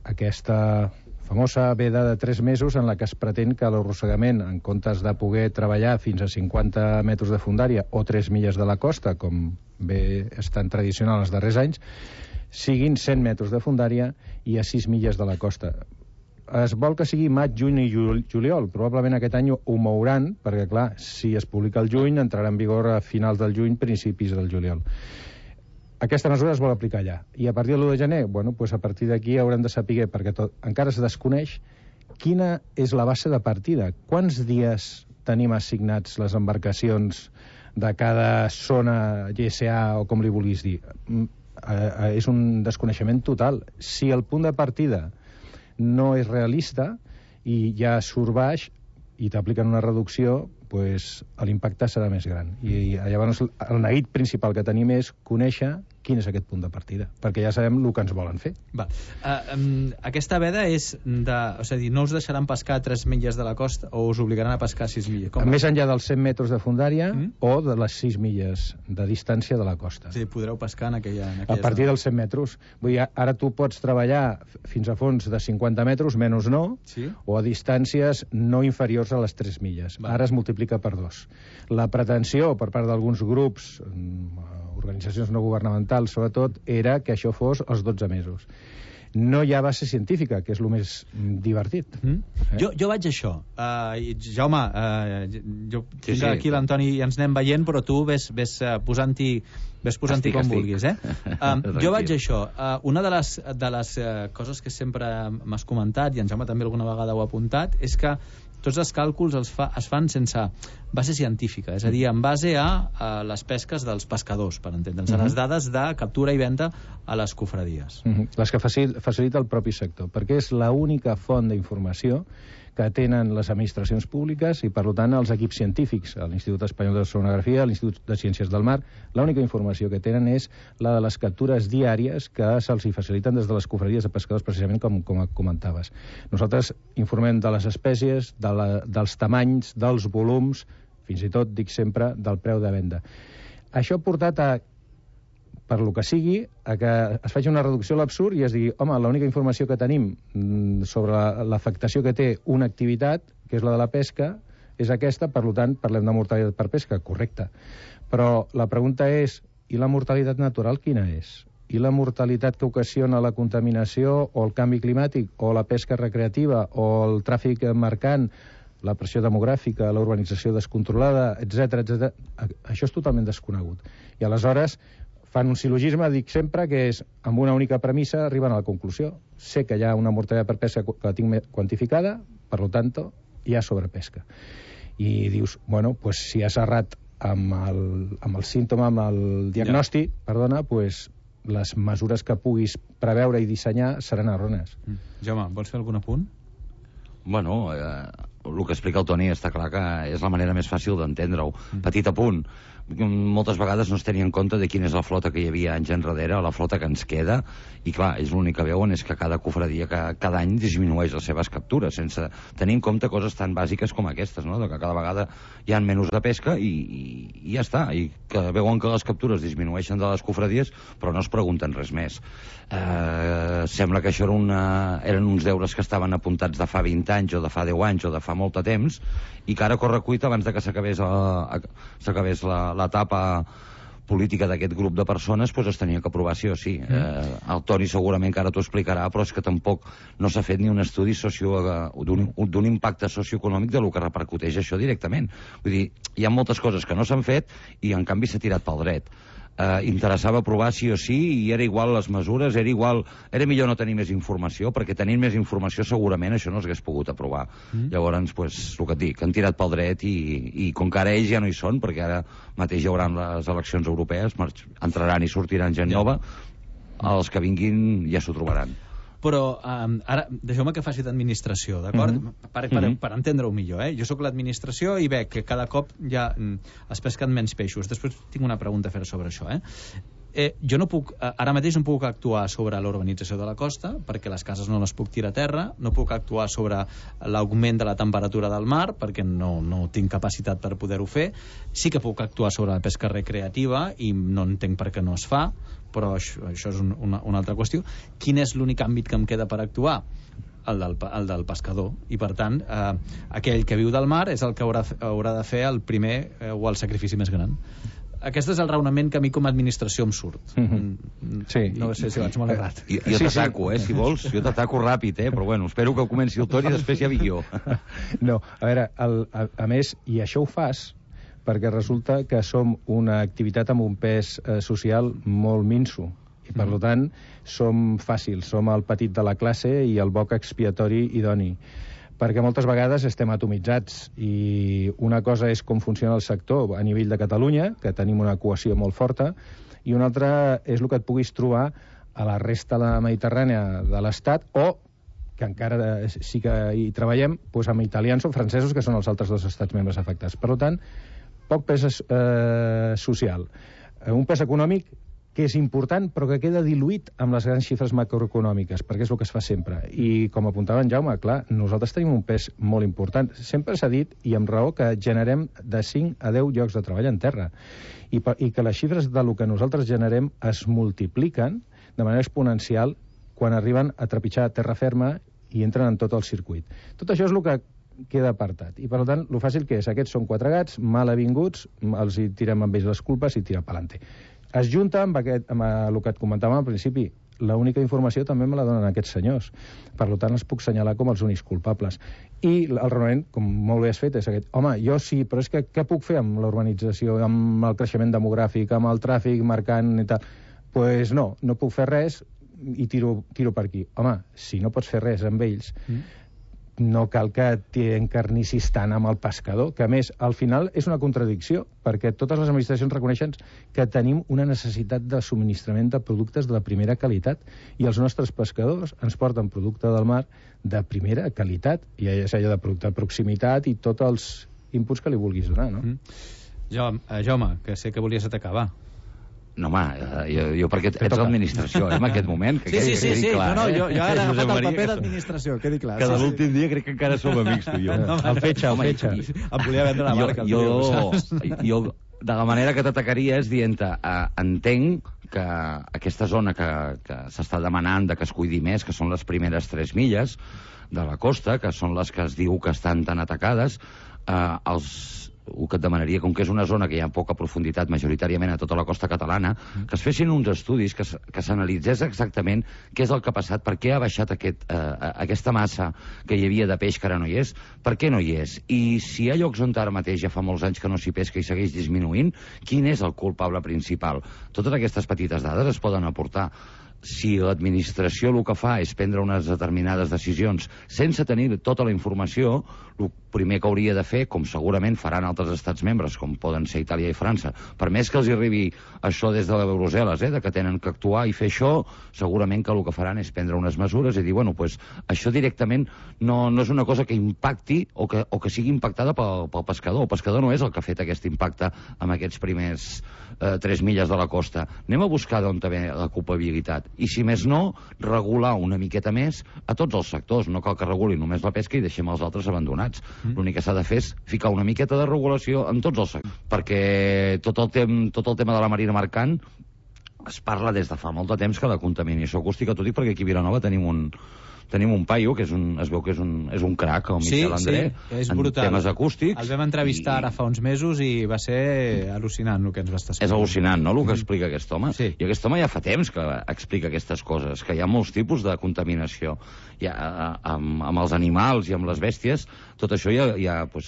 aquesta famosa veda de 3 mesos en la que es pretén que l'arrossegament, en comptes de poder treballar fins a 50 metres de fondària o 3 milles de la costa, com bé és tan tradicional els darrers anys, siguin 100 metres de fondària i a 6 milles de la costa. es vol que sigui maig, juny i juliol. Probablement aquest any ho mouran, perquè, clar, si es publica el juny, entrarà en vigor a finals del juny, principis del juliol. Aquesta mesura es vol aplicar allà. I a partir de l'1 de gener, bueno, pues a partir d'aquí haurem de saber, perquè encara es desconeix, quina és la base de partida. Quants dies tenim assignats les embarcacions de cada zona GSA o com li vulguis dir? És un desconeixement total. Si el punt de partida no és realista i ja surt baix i t'apliquen una reducció, pues, l'impacte serà més gran. I llavors el neguit principal que tenim és conèixer quin és aquest punt de partida, perquè ja sabem el que ens volen fer. Aquesta veda és és a dir, no us deixaran pescar a 3 milles de la costa o us obligaran a pescar a 6 milles? Més enllà dels 100 metres de fondària o de les 6 milles de distància de la costa. Sí, podreu pescar en aquella a partir dels 100 metres. Vull dir, ara tu pots treballar fins a fons de 50 metres, menys no, o a distàncies no inferiors a les 3 milles. Ara es multiplica per 2. La pretensió per part d'alguns grups, organitzacions no governamentals sobretot, era que això fos els 12 mesos. No hi ha base científica, que és el més divertit. Jo vaig a això. Jaume, jo tinc aquí l'Antoni i ens anem veient, però tu ves posant-hi com vulguis. Jo vaig a això. Una de les coses que sempre m'has comentat, i en Jaume també alguna vegada ho ha apuntat, és que tots els càlculs es fan sense base científica, és a dir, en base a les pesques dels pescadors, per entendre'ns, a les dades de captura i venda a les cofradies. Les que facilita el propi sector, perquè és l'única font d'informació que tenen les administracions públiques i, per tant, els equips científics, l'Institut Espanyol d'Oceanografia, l'Institut de Ciències del Mar. L'única informació que tenen és la de les captures diàries que se'ls faciliten des de les cofradies de pescadors, precisament com comentaves. Nosaltres informem de les espècies, dels tamanys, dels volums, fins i tot, dic sempre, del preu de venda. Això ha portat per lo que sigui, a que es faci una reducció a l'absurd i es digui, home, l'única informació que tenim sobre l'afectació que té una activitat, que és la de la pesca, és aquesta, per tant, parlem de mortalitat per pesca, correcte. Però la pregunta és, i la mortalitat natural quina és? I la mortalitat que ocasiona la contaminació o el canvi climàtic o la pesca recreativa o el tràfic mercant, la pressió demogràfica, la urbanització descontrolada, etc. Això és totalment desconegut. I aleshores fan un sil·logisme, dic sempre, que és, amb una única premissa, arriben a la conclusió. Sé que hi ha una mortalitat per pesca que la tinc quantificada, per tant, hi ha sobrepesca. I dius, bueno, pues, si has errat amb el símptoma, amb el diagnòstic, perdona, pues, les mesures que puguis preveure i dissenyar seran errònies. Jaume, vols fer algun apunt? Bueno, el que explica el Toni està clar que és la manera més fàcil d'entendre-ho. Petit apunt. Moltes vegades no es tenia en compte de quina és la flota que hi havia anys enrere, la flota que ens queda, i clar, és l'únic que veuen és que cada cofradia cada any disminueix les seves captures, sense tenir en compte coses tan bàsiques com aquestes, no? Que cada vegada hi ha menys de pesca i ja està, i que veuen que les captures disminueixen de les cofradies, però no es pregunten res més. Sembla que això eren uns deures que estaven apuntats de fa 20 anys o de fa 10 anys o de fa molt de temps, i que ara corre cuita abans de que s'acabés l'etapa política d'aquest grup de persones, doncs es tenia que aprovar sí o sí. El Toni segurament que ara t'ho explicarà, però és que tampoc no s'ha fet ni un estudi d'un impacte socioeconòmic de lo que repercuteix això directament. Vull dir, hi ha moltes coses que no s'han fet i en canvi s'ha tirat pel dret. Interessava aprovar sí o sí i era igual les mesures, era millor no tenir més informació, perquè tenint més informació segurament això no s'hagués pogut aprovar. Llavors, el que et dic, han tirat pel dret i com que ara ells ja no hi són, perquè ara mateix hi haurà les eleccions europees, entraran i sortiran gent nova, els que vinguin ja s'ho trobaran. Però ara deixeu-me que faci d'administració, d'acord? Per entendre-ho millor, Jo sóc l'administració i veig que cada cop ja es pesquen menys peixos. Després tinc una pregunta a fer sobre això, Jo no puc, ara mateix no puc actuar sobre l'urbanització de la costa, perquè les cases no les puc tirar a terra, no puc actuar sobre l'augment de la temperatura del mar, perquè no tinc capacitat per poder-ho fer. Sí que puc actuar sobre la pesca recreativa i no entenc per què no es fa, però això és una altra qüestió. Quin és l'únic àmbit que em queda per actuar? El del pescador, i per tant aquell que viu del mar és el que haurà de fer el primer o el sacrifici més gran. Aquest és el raonament que a mi com a administració em surt. Sí. No sé si vaig molt errat. Jo t'ataco, si vols. Jo t'ataco ràpid, però bueno, espero que comenci el Toni i després ja vinc jo. No, a veure, a més, i això ho fas perquè resulta que som una activitat amb un pes social molt minso. I, per tant, som fàcils, som el petit de la classe i el boc expiatori idoni. Perquè moltes vegades estem atomitzats i una cosa és com funciona el sector a nivell de Catalunya, que tenim una cohesió molt forta, i una altra és el que et puguis trobar a la resta de la Mediterrània de l'Estat o que encara sí que hi treballem doncs amb italians o francesos, que són els altres dos estats membres afectats. Per tant, poc pes social. Un pes econòmic que és important, però que queda diluït amb les grans xifres macroeconòmiques, perquè és el que es fa sempre. I, com apuntava en Jaume, clar, nosaltres tenim un pes molt important. Sempre s'ha dit, i amb raó, que generem de 5 a 10 llocs de treball en terra. I que les xifres del que nosaltres generem es multipliquen de manera exponencial quan arriben a trepitjar terra ferma i entren en tot el circuit. Tot això és el que queda apartat. I, per tant, el fàcil que és, aquests són 4 gats, mal avinguts, els hi tirem amb ells les culpes i tira pelante. Es junta amb el que et comentàvem al principi. L'única informació també me la donen aquests senyors. Per tant, els puc assenyalar com els únics culpables. I el raonament, com molt bé has fet, és aquest. Home, jo sí, però és que què puc fer amb la urbanització, amb el creixement demogràfic, amb el tràfic marcant i tal? Doncs no puc fer res i tiro per aquí. Home, si no pots fer res amb ells, no cal que t'encarnissis tant amb el pescador, que a més, al final és una contradicció, perquè totes les administracions reconeixen que tenim una necessitat de subministrament de productes de la primera qualitat, i els nostres pescadors ens porten producte del mar de primera qualitat, i és allò de producte de proximitat i tots els inputs que li vulguis donar, no? Jaume, que sé que volies atacar, va. No, home, jo perquè ets l'administració, en aquest moment. Que sí. Clar, no, jo he agafat el paper d'administració, quedi clar. Que de l'últim dia crec que encara som amics, tu i jo. El fetge. Em volia vendre la marca. Jo, de la manera que t'atacaria és dient-te, entenc que aquesta zona que s'està demanant que es cuidi més, que són les primeres 3 milles de la costa, que són les que es diu que estan tan atacades, el que et demanaria, com que és una zona que hi ha poca profunditat majoritàriament a tota la costa catalana, que es fessin uns estudis que s'analitzés exactament què és el que ha passat, per què ha baixat aquesta massa que hi havia de peix que ara no hi és, per què no hi és, i si hi ha llocs on ara mateix ja fa molts anys que no s'hi pesca i segueix disminuint, quin és el culpable principal. Totes aquestes petites dades es poden aportar. Si l'administració el que fa és prendre unes determinades decisions sense tenir tota la informació, el primer que hauria de fer, com segurament faran altres estats membres, com poden ser Itàlia i França, per més que els arribi això des de Brussel·les, de que tenen que actuar i fer això, segurament que el que faran és prendre unes mesures i dir, bueno, pues, això directament no és una cosa que impacti o que sigui impactada pel pescador. El pescador no és el que ha fet aquest impacte amb aquests primers 3 milles de la costa. Anem a buscar d'on ve la culpabilitat. I, si més no, regular una miqueta més a tots els sectors. No cal que reguli només la pesca i deixem els altres abandonats. L'únic que s'ha de fer és ficar una miqueta de regulació en tots els sectors. Perquè tot el tema de la marina mercant es parla des de fa molt de temps que la contaminació acústica, t'ho dic perquè aquí a Vilanova tenim un paio que es veu que és un crac, el Miquel André, en temes acústics. El vam entrevistar ara fa uns mesos i va ser al·lucinant el que ens va estar explicant. És al·lucinant, no?, el que explica aquest home. Sí. I aquest home ja fa temps que explica aquestes coses, que hi ha molts tipus de contaminació. Amb els animals i amb les bèsties, tot això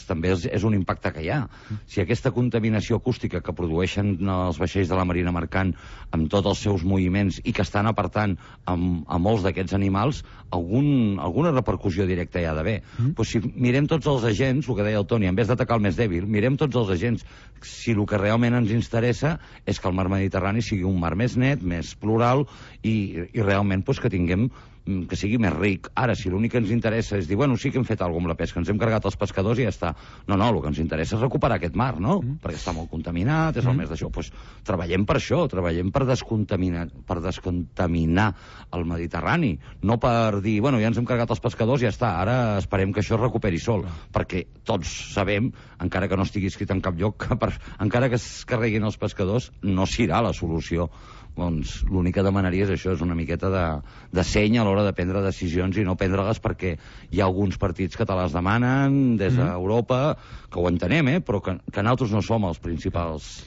també és un impacte que hi ha. Si aquesta contaminació acústica que produeixen els vaixells de la marina mercant amb tots els seus moviments i que estan apartant a molts d'aquests animals, alguna repercussió directa hi ha d'haver. Si mirem tots els agents, el que deia el Toni, en vez d'atacar el més dèbil, mirem tots els agents. Si el que realment ens interessa és que el mar Mediterrani sigui un mar més net, més plural i realment que tinguem que sigui més ric. Ara, si l'únic que ens interessa és dir, bueno, sí que hem fet alguna cosa amb la pesca, ens hem carregat els pescadors i ja està. No, el que ens interessa és recuperar aquest mar, no? Perquè està molt contaminat, és el més d'això. Doncs treballem per això, treballem per descontaminar el Mediterrani, no per dir, bueno, ja ens hem carregat els pescadors i ja està, ara esperem que això es recuperi sol, perquè tots sabem, encara que no estigui escrit en cap lloc, que encara que es carreguin els pescadors, no serà la solució. Doncs l'únic que demanaria és això, és una miqueta de seny a l'hora de prendre decisions i no prendre-les perquè hi ha alguns partits que te les demanen des d'Europa, que ho entenem, però que nosaltres no som els principals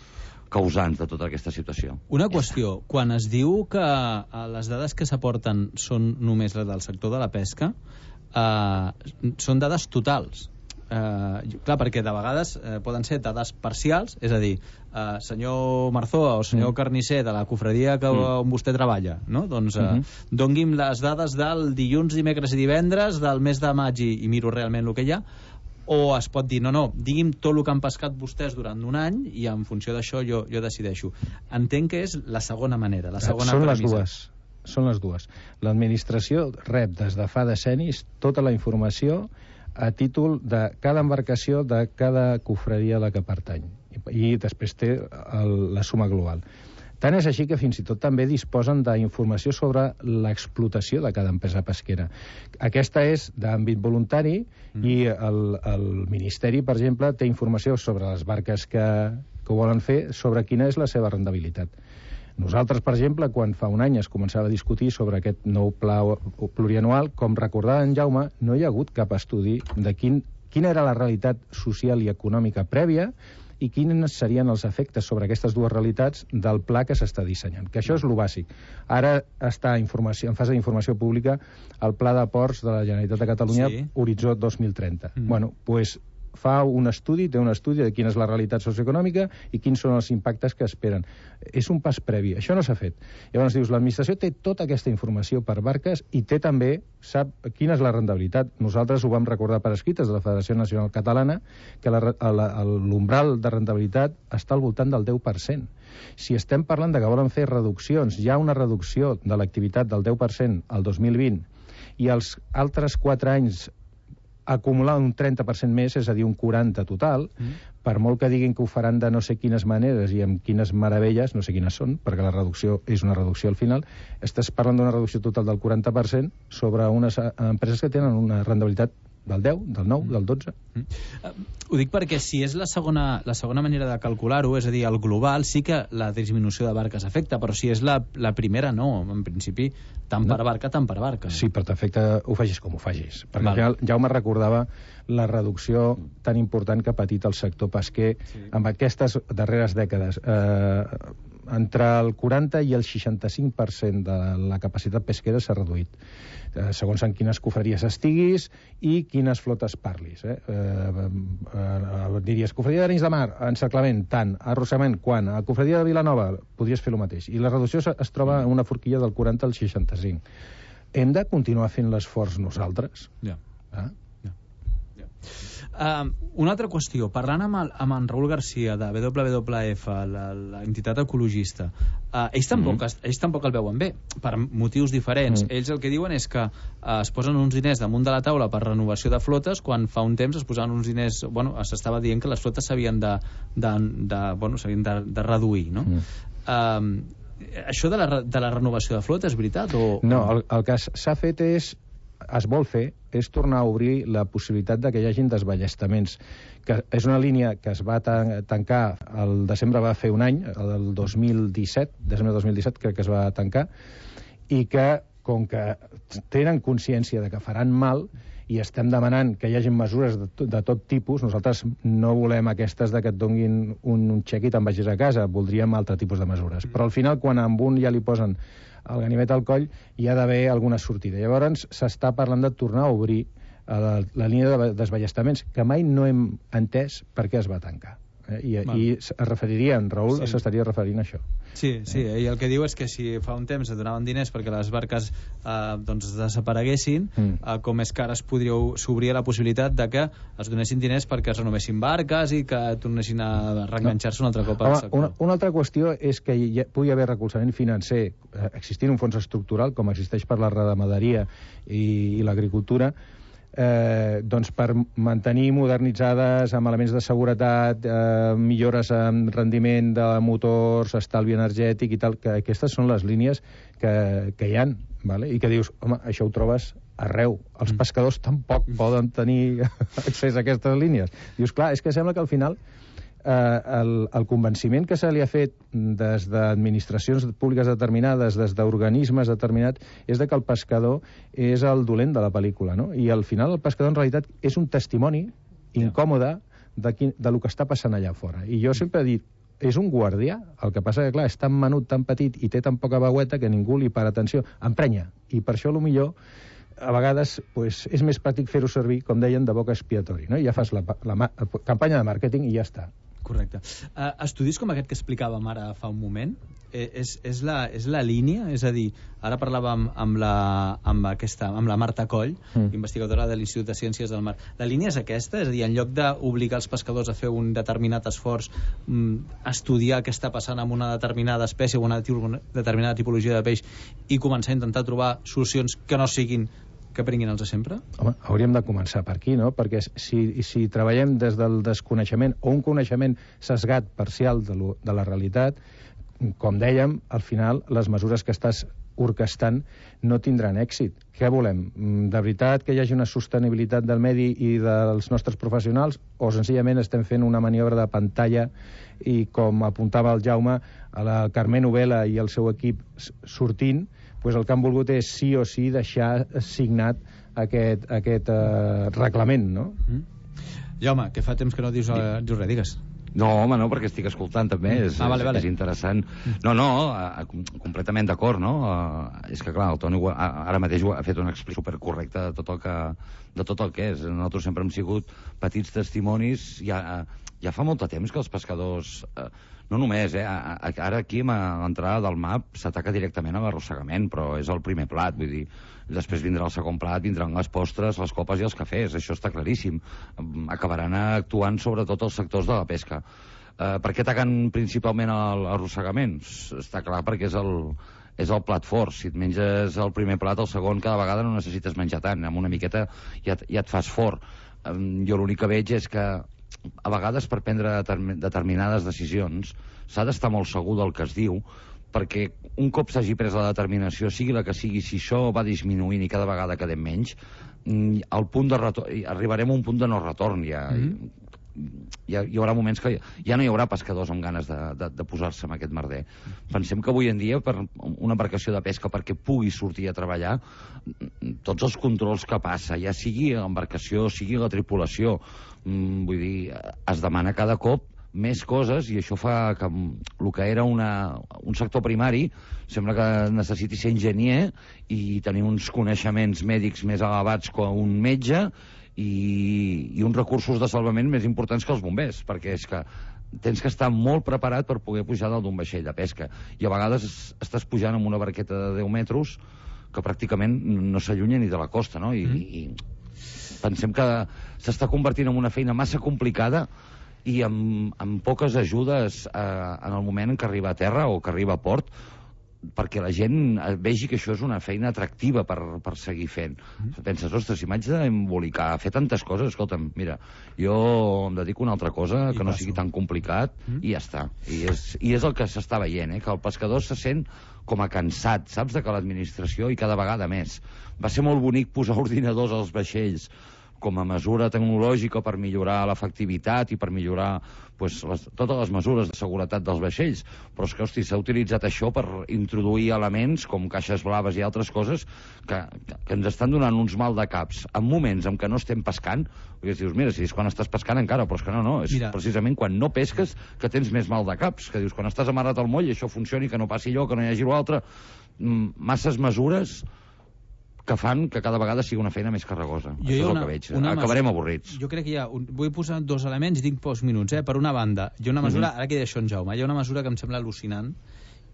causants de tota aquesta situació. Una qüestió, quan es diu que les dades que s'aporten són només les del sector de la pesca, són dades totals. Clar, perquè de vegades poden ser dades parcials, és a dir, senyor Marzoa o senyor Carnisser de la cofradia on vostè treballa, no? Doncs doni'm les dades del dilluns, dimecres i divendres del mes de maig i miro realment el que hi ha. O es pot dir, no, digui'm tot el que han pescat vostès durant un any i en funció d'això jo decideixo. Entenc que és la segona manera, la segona premissa. Són les dues. L'administració rep des de fa decennis tota la informació a títol de cada embarcació de cada cofradia a la que pertany. I després té la suma global. Tant és així que fins i tot també disposen d'informació sobre l'explotació de cada empresa pesquera. Aquesta és d'àmbit voluntari i el Ministeri, per exemple, té informació sobre les barques que ho volen fer, sobre quina és la seva rendibilitat. Nosaltres, per exemple, quan fa un any es començava a discutir sobre aquest nou pla plurianual, com recordava en Jaume, no hi ha hagut cap estudi de quina era la realitat social i econòmica prèvia i quins serien els efectes sobre aquestes dues realitats del pla que s'està dissenyant, que això és lo bàsic. Ara està en fase d'informació pública el Pla de Ports de la Generalitat de Catalunya, Horitzó 2030. Bueno, doncs fa un estudi, té un estudi de quina és la realitat socioeconòmica i quins són els impactes que esperen. És un pas previ, això no s'ha fet. Llavors dius, l'administració té tota aquesta informació per barques i té també, sap quina és la rendibilitat. Nosaltres ho vam recordar per escrit des de la Federació Nacional Catalana, que l'umbral de rendibilitat està al voltant del 10%. Si estem parlant de que volen fer reduccions, hi ha una reducció de l'activitat del 10% al 2020 i els altres 4 anys acumular un 30% més, és a dir, un 40% total, per molt que diguin que ho faran de no sé quines maneres i amb quines meravelles, no sé quines són, perquè la reducció és una reducció al final, estàs parlant d'una reducció total del 40% sobre unes empreses que tenen una rendibilitat del 10, del 9, del 12. Ho dic perquè si és la segona manera de calcular-ho, és a dir, el global, sí que la disminució de barques afecta, però si és la primera, no. En principi, tant per barca, tant per barca. Sí, però t'afecta, ho facis com ho facis. Perquè al final Jaume recordava la reducció tan important que ha patit el sector pesquer amb aquestes darreres dècades. Entre el 40 i el 65% de la capacitat pesquera s'ha reduït, segons en quines cofreries estiguis i quines flotes parlis. Diries, cofredia d'Arenys de Mar, encerclament, tant, arrossegament, quan, a cofredia de Vilanova, podries fer el mateix. I la reducció es troba en una forquilla del 40 al 65. Hem de continuar fent l'esforç nosaltres? Una altra qüestió, parlant amb en Raül Garcia de WWF, l'entitat ecologista, ells tampoc el veuen bé, per motius diferents. Ells el que diuen és que es posen uns diners damunt de la taula per renovació de flotes, quan fa un temps es posaven uns diners, s'estava dient que les flotes s'havien de reduir, no? Això de la renovació de flotes, és veritat? No, el que s'ha fet es vol fer és tornar a obrir la possibilitat de que hi hagin desballestaments, que és una línia que es va tancar el desembre, va fer un any, el 2017, desembre de 2017 crec que es va tancar, i que com que tenen consciència de que faran mal i estem demanant que hi hagi mesures de tot tipus, nosaltres no volem aquestes de que et donguin un xec i te'n vagis a casa, voldríem altre tipus de mesures. Però al final, quan amb un ja li posen el ganivet al coll, hi ha d'haver alguna sortida. Llavors s'està parlant de tornar a obrir la línia de desballestaments, que mai no hem entès per què es va tancar. I es referiria, en Raül s'estaria referint a això. Sí, i el que diu és que si fa un temps es donaven diners perquè les barques desapareguessin, com és que ara s'obria la possibilitat de que es donessin diners perquè es renovessin barques i que tornessin a reenganxar-se un altre cop al sector. Una altra qüestió és que pugui haver recolzament financer existint un fons estructural com existeix per la ramaderia i l'agricultura, doncs per mantenir modernitzades amb elements de seguretat, millores en rendiment de motors, estalvi energètic i tal, que aquestes són les línies que hi ha, vale? I que dius, home, això ho trobes arreu. Els pescadors tampoc poden tenir accés a aquestes línies. Dius, clar, és que sembla que al final el convenciment que se li ha fet des d'administracions públiques determinades, des d'organismes determinats, és de que el pescador és el dolent de la pel·lícula, no? I al final el pescador en realitat és un testimoni incòmode de lo que està passant allà fora. I jo sempre he dit, és un guardià. El que passa que, clar, és tan menut, tan petit i té tan poca veueta que ningú li para atenció. Emprenya. I per això, millor a vegades pues, és més pràctic fer-ho servir, com deien, de boca expiatori. No? Ja fas la campanya de màrqueting i ja està. Correcte. Estudis com aquest que explicàvem ara fa un moment, és la línia? És a dir, ara parlàvem amb la Marta Coll, investigadora de l'Institut de Ciències del Mar. La línia és aquesta? És a dir, en lloc d'obligar els pescadors a fer un determinat esforç, estudiar què està passant amb una determinada espècie o una determinada tipologia de peix i començar a intentar trobar solucions que no siguin que prenguin els de sempre? Home, hauríem de començar per aquí, no? Perquè si treballem des del desconeixement o un coneixement sesgat parcial de la realitat, com dèiem, al final les mesures que estàs orquestant no tindran èxit. Què volem? De veritat que hi hagi una sostenibilitat del medi i dels nostres professionals o senzillament estem fent una maniobra de pantalla i, com apuntava el Jaume, a la Carmen Ovella i el seu equip sortint, pues el que han volgut és sí o sí deixar signat aquest reglament, no? Jaume, que fa temps que no dius res, digues. No, home, no, perquè estic escoltant també, és interessant. No, completament d'acord, no? És que, clar, el Toni ara mateix ha fet una explicació supercorrecta de tot el que és. Nosaltres sempre hem sigut petits testimonis, ja fa molt de temps que els pescadors... No només, ara aquí a l'entrada del MAP s'ataca directament a l'arrossegament, però és el primer plat, vull dir, després vindrà el segon plat, vindran les postres, les copes i els cafès, això està claríssim. Acabaran actuant sobretot els sectors de la pesca. Per què ataquen principalment l'arrossegament? Està clar, perquè és el plat fort. Si et menges el primer plat, el segon cada vegada no necessites menjar tant, amb una miqueta ja et fas fort. Jo l'únic que veig és que a vegades per prendre determinades decisions s'ha d'estar molt segur del que es diu, perquè un cop s'hagi pres la determinació, sigui la que sigui, si això va disminuint i cada vegada quedem menys, arribarem a un punt de no retorn. Hi haurà moments que ja no hi haurà pescadors amb ganes de posar-se en aquest merder. Pensem que avui en dia, per una embarcació de pesca, perquè pugui sortir a treballar, tots els controls que passa, ja sigui l'embarcació, sigui la tripulació, vull dir, es demana cada cop més coses, i això fa que el que era un sector primari sembla que necessiti ser enginyer i tenir uns coneixements mèdics més elevats que un metge i uns recursos de salvament més importants que els bombers, perquè és que tens que estar molt preparat per poder pujar dalt d'un vaixell de pesca, i a vegades estàs pujant amb una barqueta de 10 metres que pràcticament no s'allunya ni de la costa, no? I pensem que s'està convertint en una feina massa complicada i amb poques ajudes en el moment en què arriba a terra o que arriba a port, perquè la gent vegi que això és una feina atractiva per seguir fent. Penses, ostres, si m'haig d'embolicar, fer tantes coses, escolta'm, mira, jo em dedico a una altra cosa que no sigui tan complicat i ja està. I és el que s'està veient, que el pescador se sent com a cansat, saps, de que l'administració, i cada vegada més. Va ser molt bonic posar ordinadors als vaixells com a mesura tecnològica per millorar l'efectivitat i per millorar totes les mesures de seguretat dels vaixells, però és que, hosti, s'ha utilitzat això per introduir elements com caixes blaves i altres coses que ens estan donant uns mal de caps en moments en què no estem pescant, perquè dius, mira, si és quan estàs pescant encara, però és que no, és precisament quan no pesques que tens més mal de caps, que dius, quan estàs amarrat al moll i això funcioni, que no passi allò, que no hi hagi l'altre, masses mesures que fan que cada vegada sigui una feina més carregosa. Això és el que veig. Acabarem avorrits. Jo crec que vull posar dos elements i tinc pocs minuts. Per una banda, hi ha una mesura, ara que he dit això en Jaume, hi ha una mesura que em sembla al·lucinant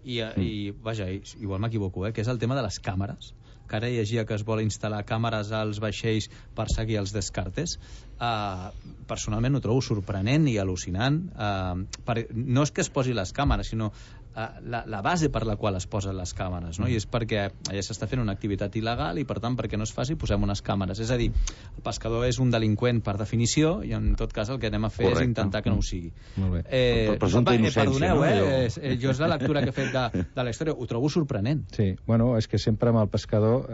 i vaja, igual m'equivoco, que és el tema de les càmeres, que ara llegia que es vol instal·lar càmeres als vaixells per seguir els descartes. Personalment ho trobo sorprenent i al·lucinant. No és que es posi les càmeres, sinó la base per la qual es posen les càmeres, no? I és perquè ja s'està fent una activitat il·legal i, per tant, perquè no es faci, posem unes càmeres. És a dir, el pescador és un delinqüent per definició i, en tot cas, el que anem a fer és intentar que no ho sigui. Molt bé. Perdoneu, jo és la lectura que he fet de la història. Ho trobo sorprenent. Sí, bueno, és que sempre amb el pescador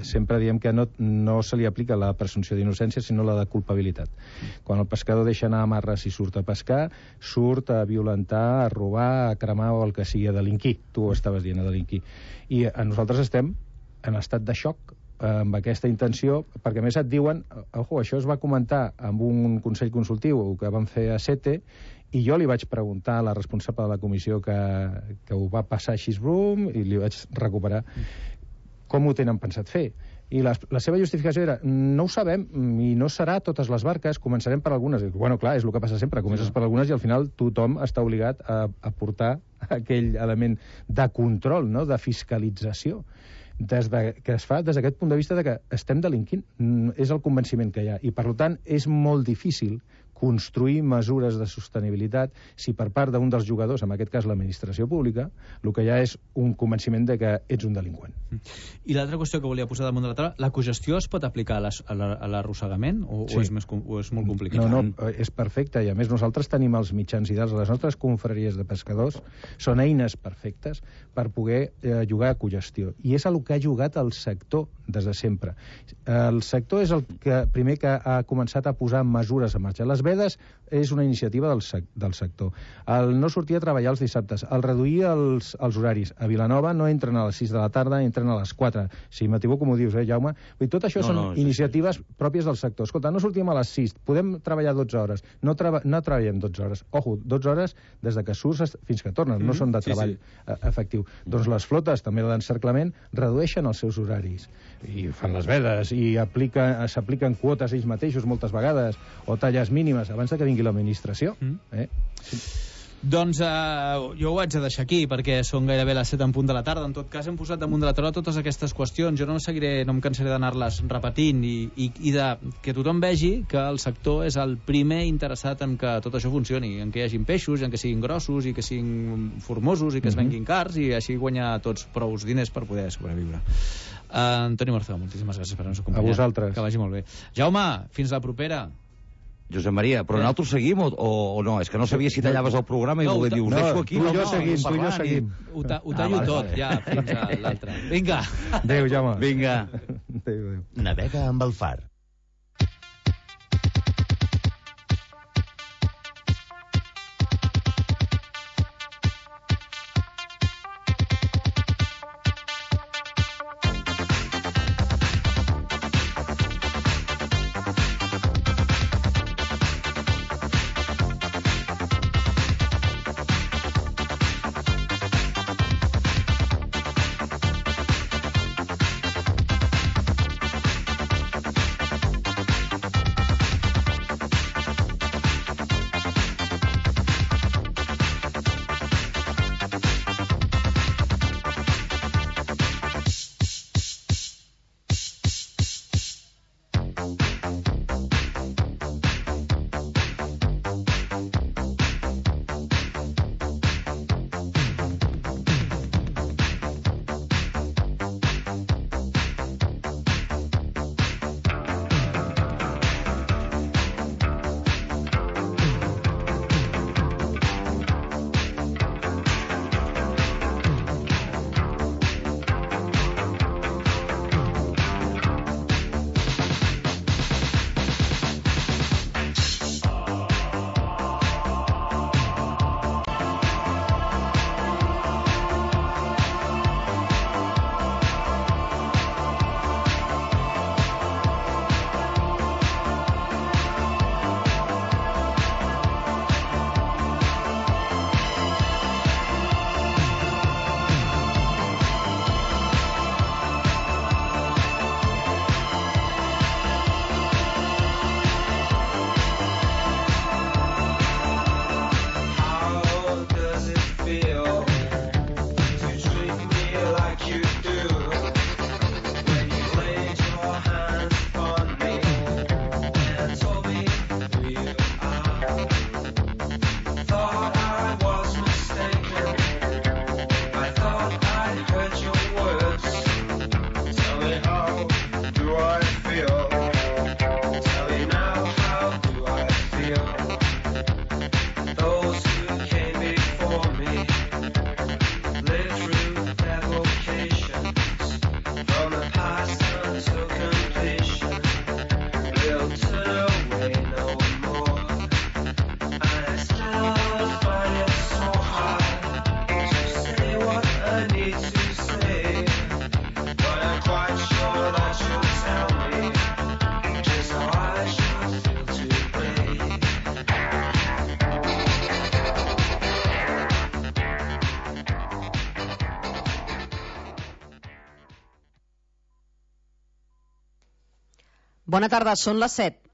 sempre diem que no se li aplica la presumpció d'innocència, sinó la de culpabilitat. Quan el pescador deixa anar amarres i surt a pescar, surt a violentar, a robar, a cremar o el que sigui, a delinquir. Tu ho estaves dient, a delinquir. I nosaltres estem en estat de xoc amb aquesta intenció, perquè a més et diuen, ojo, això es va comentar amb un Consell Consultiu que van fer a SETE, i jo li vaig preguntar a la responsable de la comissió que ho va passar així i li vaig recuperar com ho tenen pensat fer. I la seva justificació era, no ho sabem i no serà totes les barques, començarem per algunes. Bueno, clar, és el que passa sempre, comences per algunes i al final tothom està obligat a portar aquell element de control, no?, de fiscalització, que es fa des d'aquest punt de vista de que estem delinquint. És el convenciment que hi ha. I, per tant, és molt difícil construir mesures de sostenibilitat si per part d'un dels jugadors, en aquest cas l'administració pública, el que hi ha és un convenciment de que ets un delinqüent. I l'altra qüestió que volia posar damunt de la taula, la cogestió es pot aplicar a l'arrossegament o és molt complicat? No, és perfecte, i a més nosaltres tenim els mitjans ideals. Les nostres confraries de pescadors són eines perfectes per poder jugar a cogestió, i és el que ha jugat el sector des de sempre. El sector és el que primer que ha començat a posar mesures en marxa. Les vedes és una iniciativa del sector. El no sortir a treballar els dissabtes, el reduir els horaris. A Vilanova no entren a les 6 de la tarda, entren a les 4. Si m'equivoco, m'ho dius, Jaume? Tot això són iniciatives pròpies del sector. Escolta, no sortim a les 6, podem treballar 12 hores. No treballem 12 hores. Ojo, 12 hores des de que surts fins que tornes, no són de treball efectiu. Doncs les flotes, també l'encerclament, redueixen els seus horaris i fan les vedes i s'apliquen quotes ells mateixos moltes vegades, o talles mínimes abans que vingui l'administració. Doncs jo ho haig de deixar aquí perquè són gairebé les 7 en punt de la tarda. En tot cas hem posat damunt de la taula totes aquestes qüestions. Jo no em cansaré d'anar-les repetint i que tothom vegi que el sector és el primer interessat en que tot això funcioni, en que hi hagin peixos, en que siguin grossos i que siguin formosos i que es venguin cars, i així guanyar tots prous diners per poder sobreviure. Antoni Marzó, moltíssimes gràcies per haver-nos acompanyat. A vosaltres. Que vagi molt bé. Jaume, fins la propera. Josep Maria, però nosaltres seguim o no? És que no sabia si tallaves el programa i voler dir, us deixo aquí. Tu i jo seguim. Ho tallo tot, ja, fins a l'altre. Vinga. Adéu, Jaume. Vinga. Adéu. Navega amb el Far. Bona tarda, són les 7.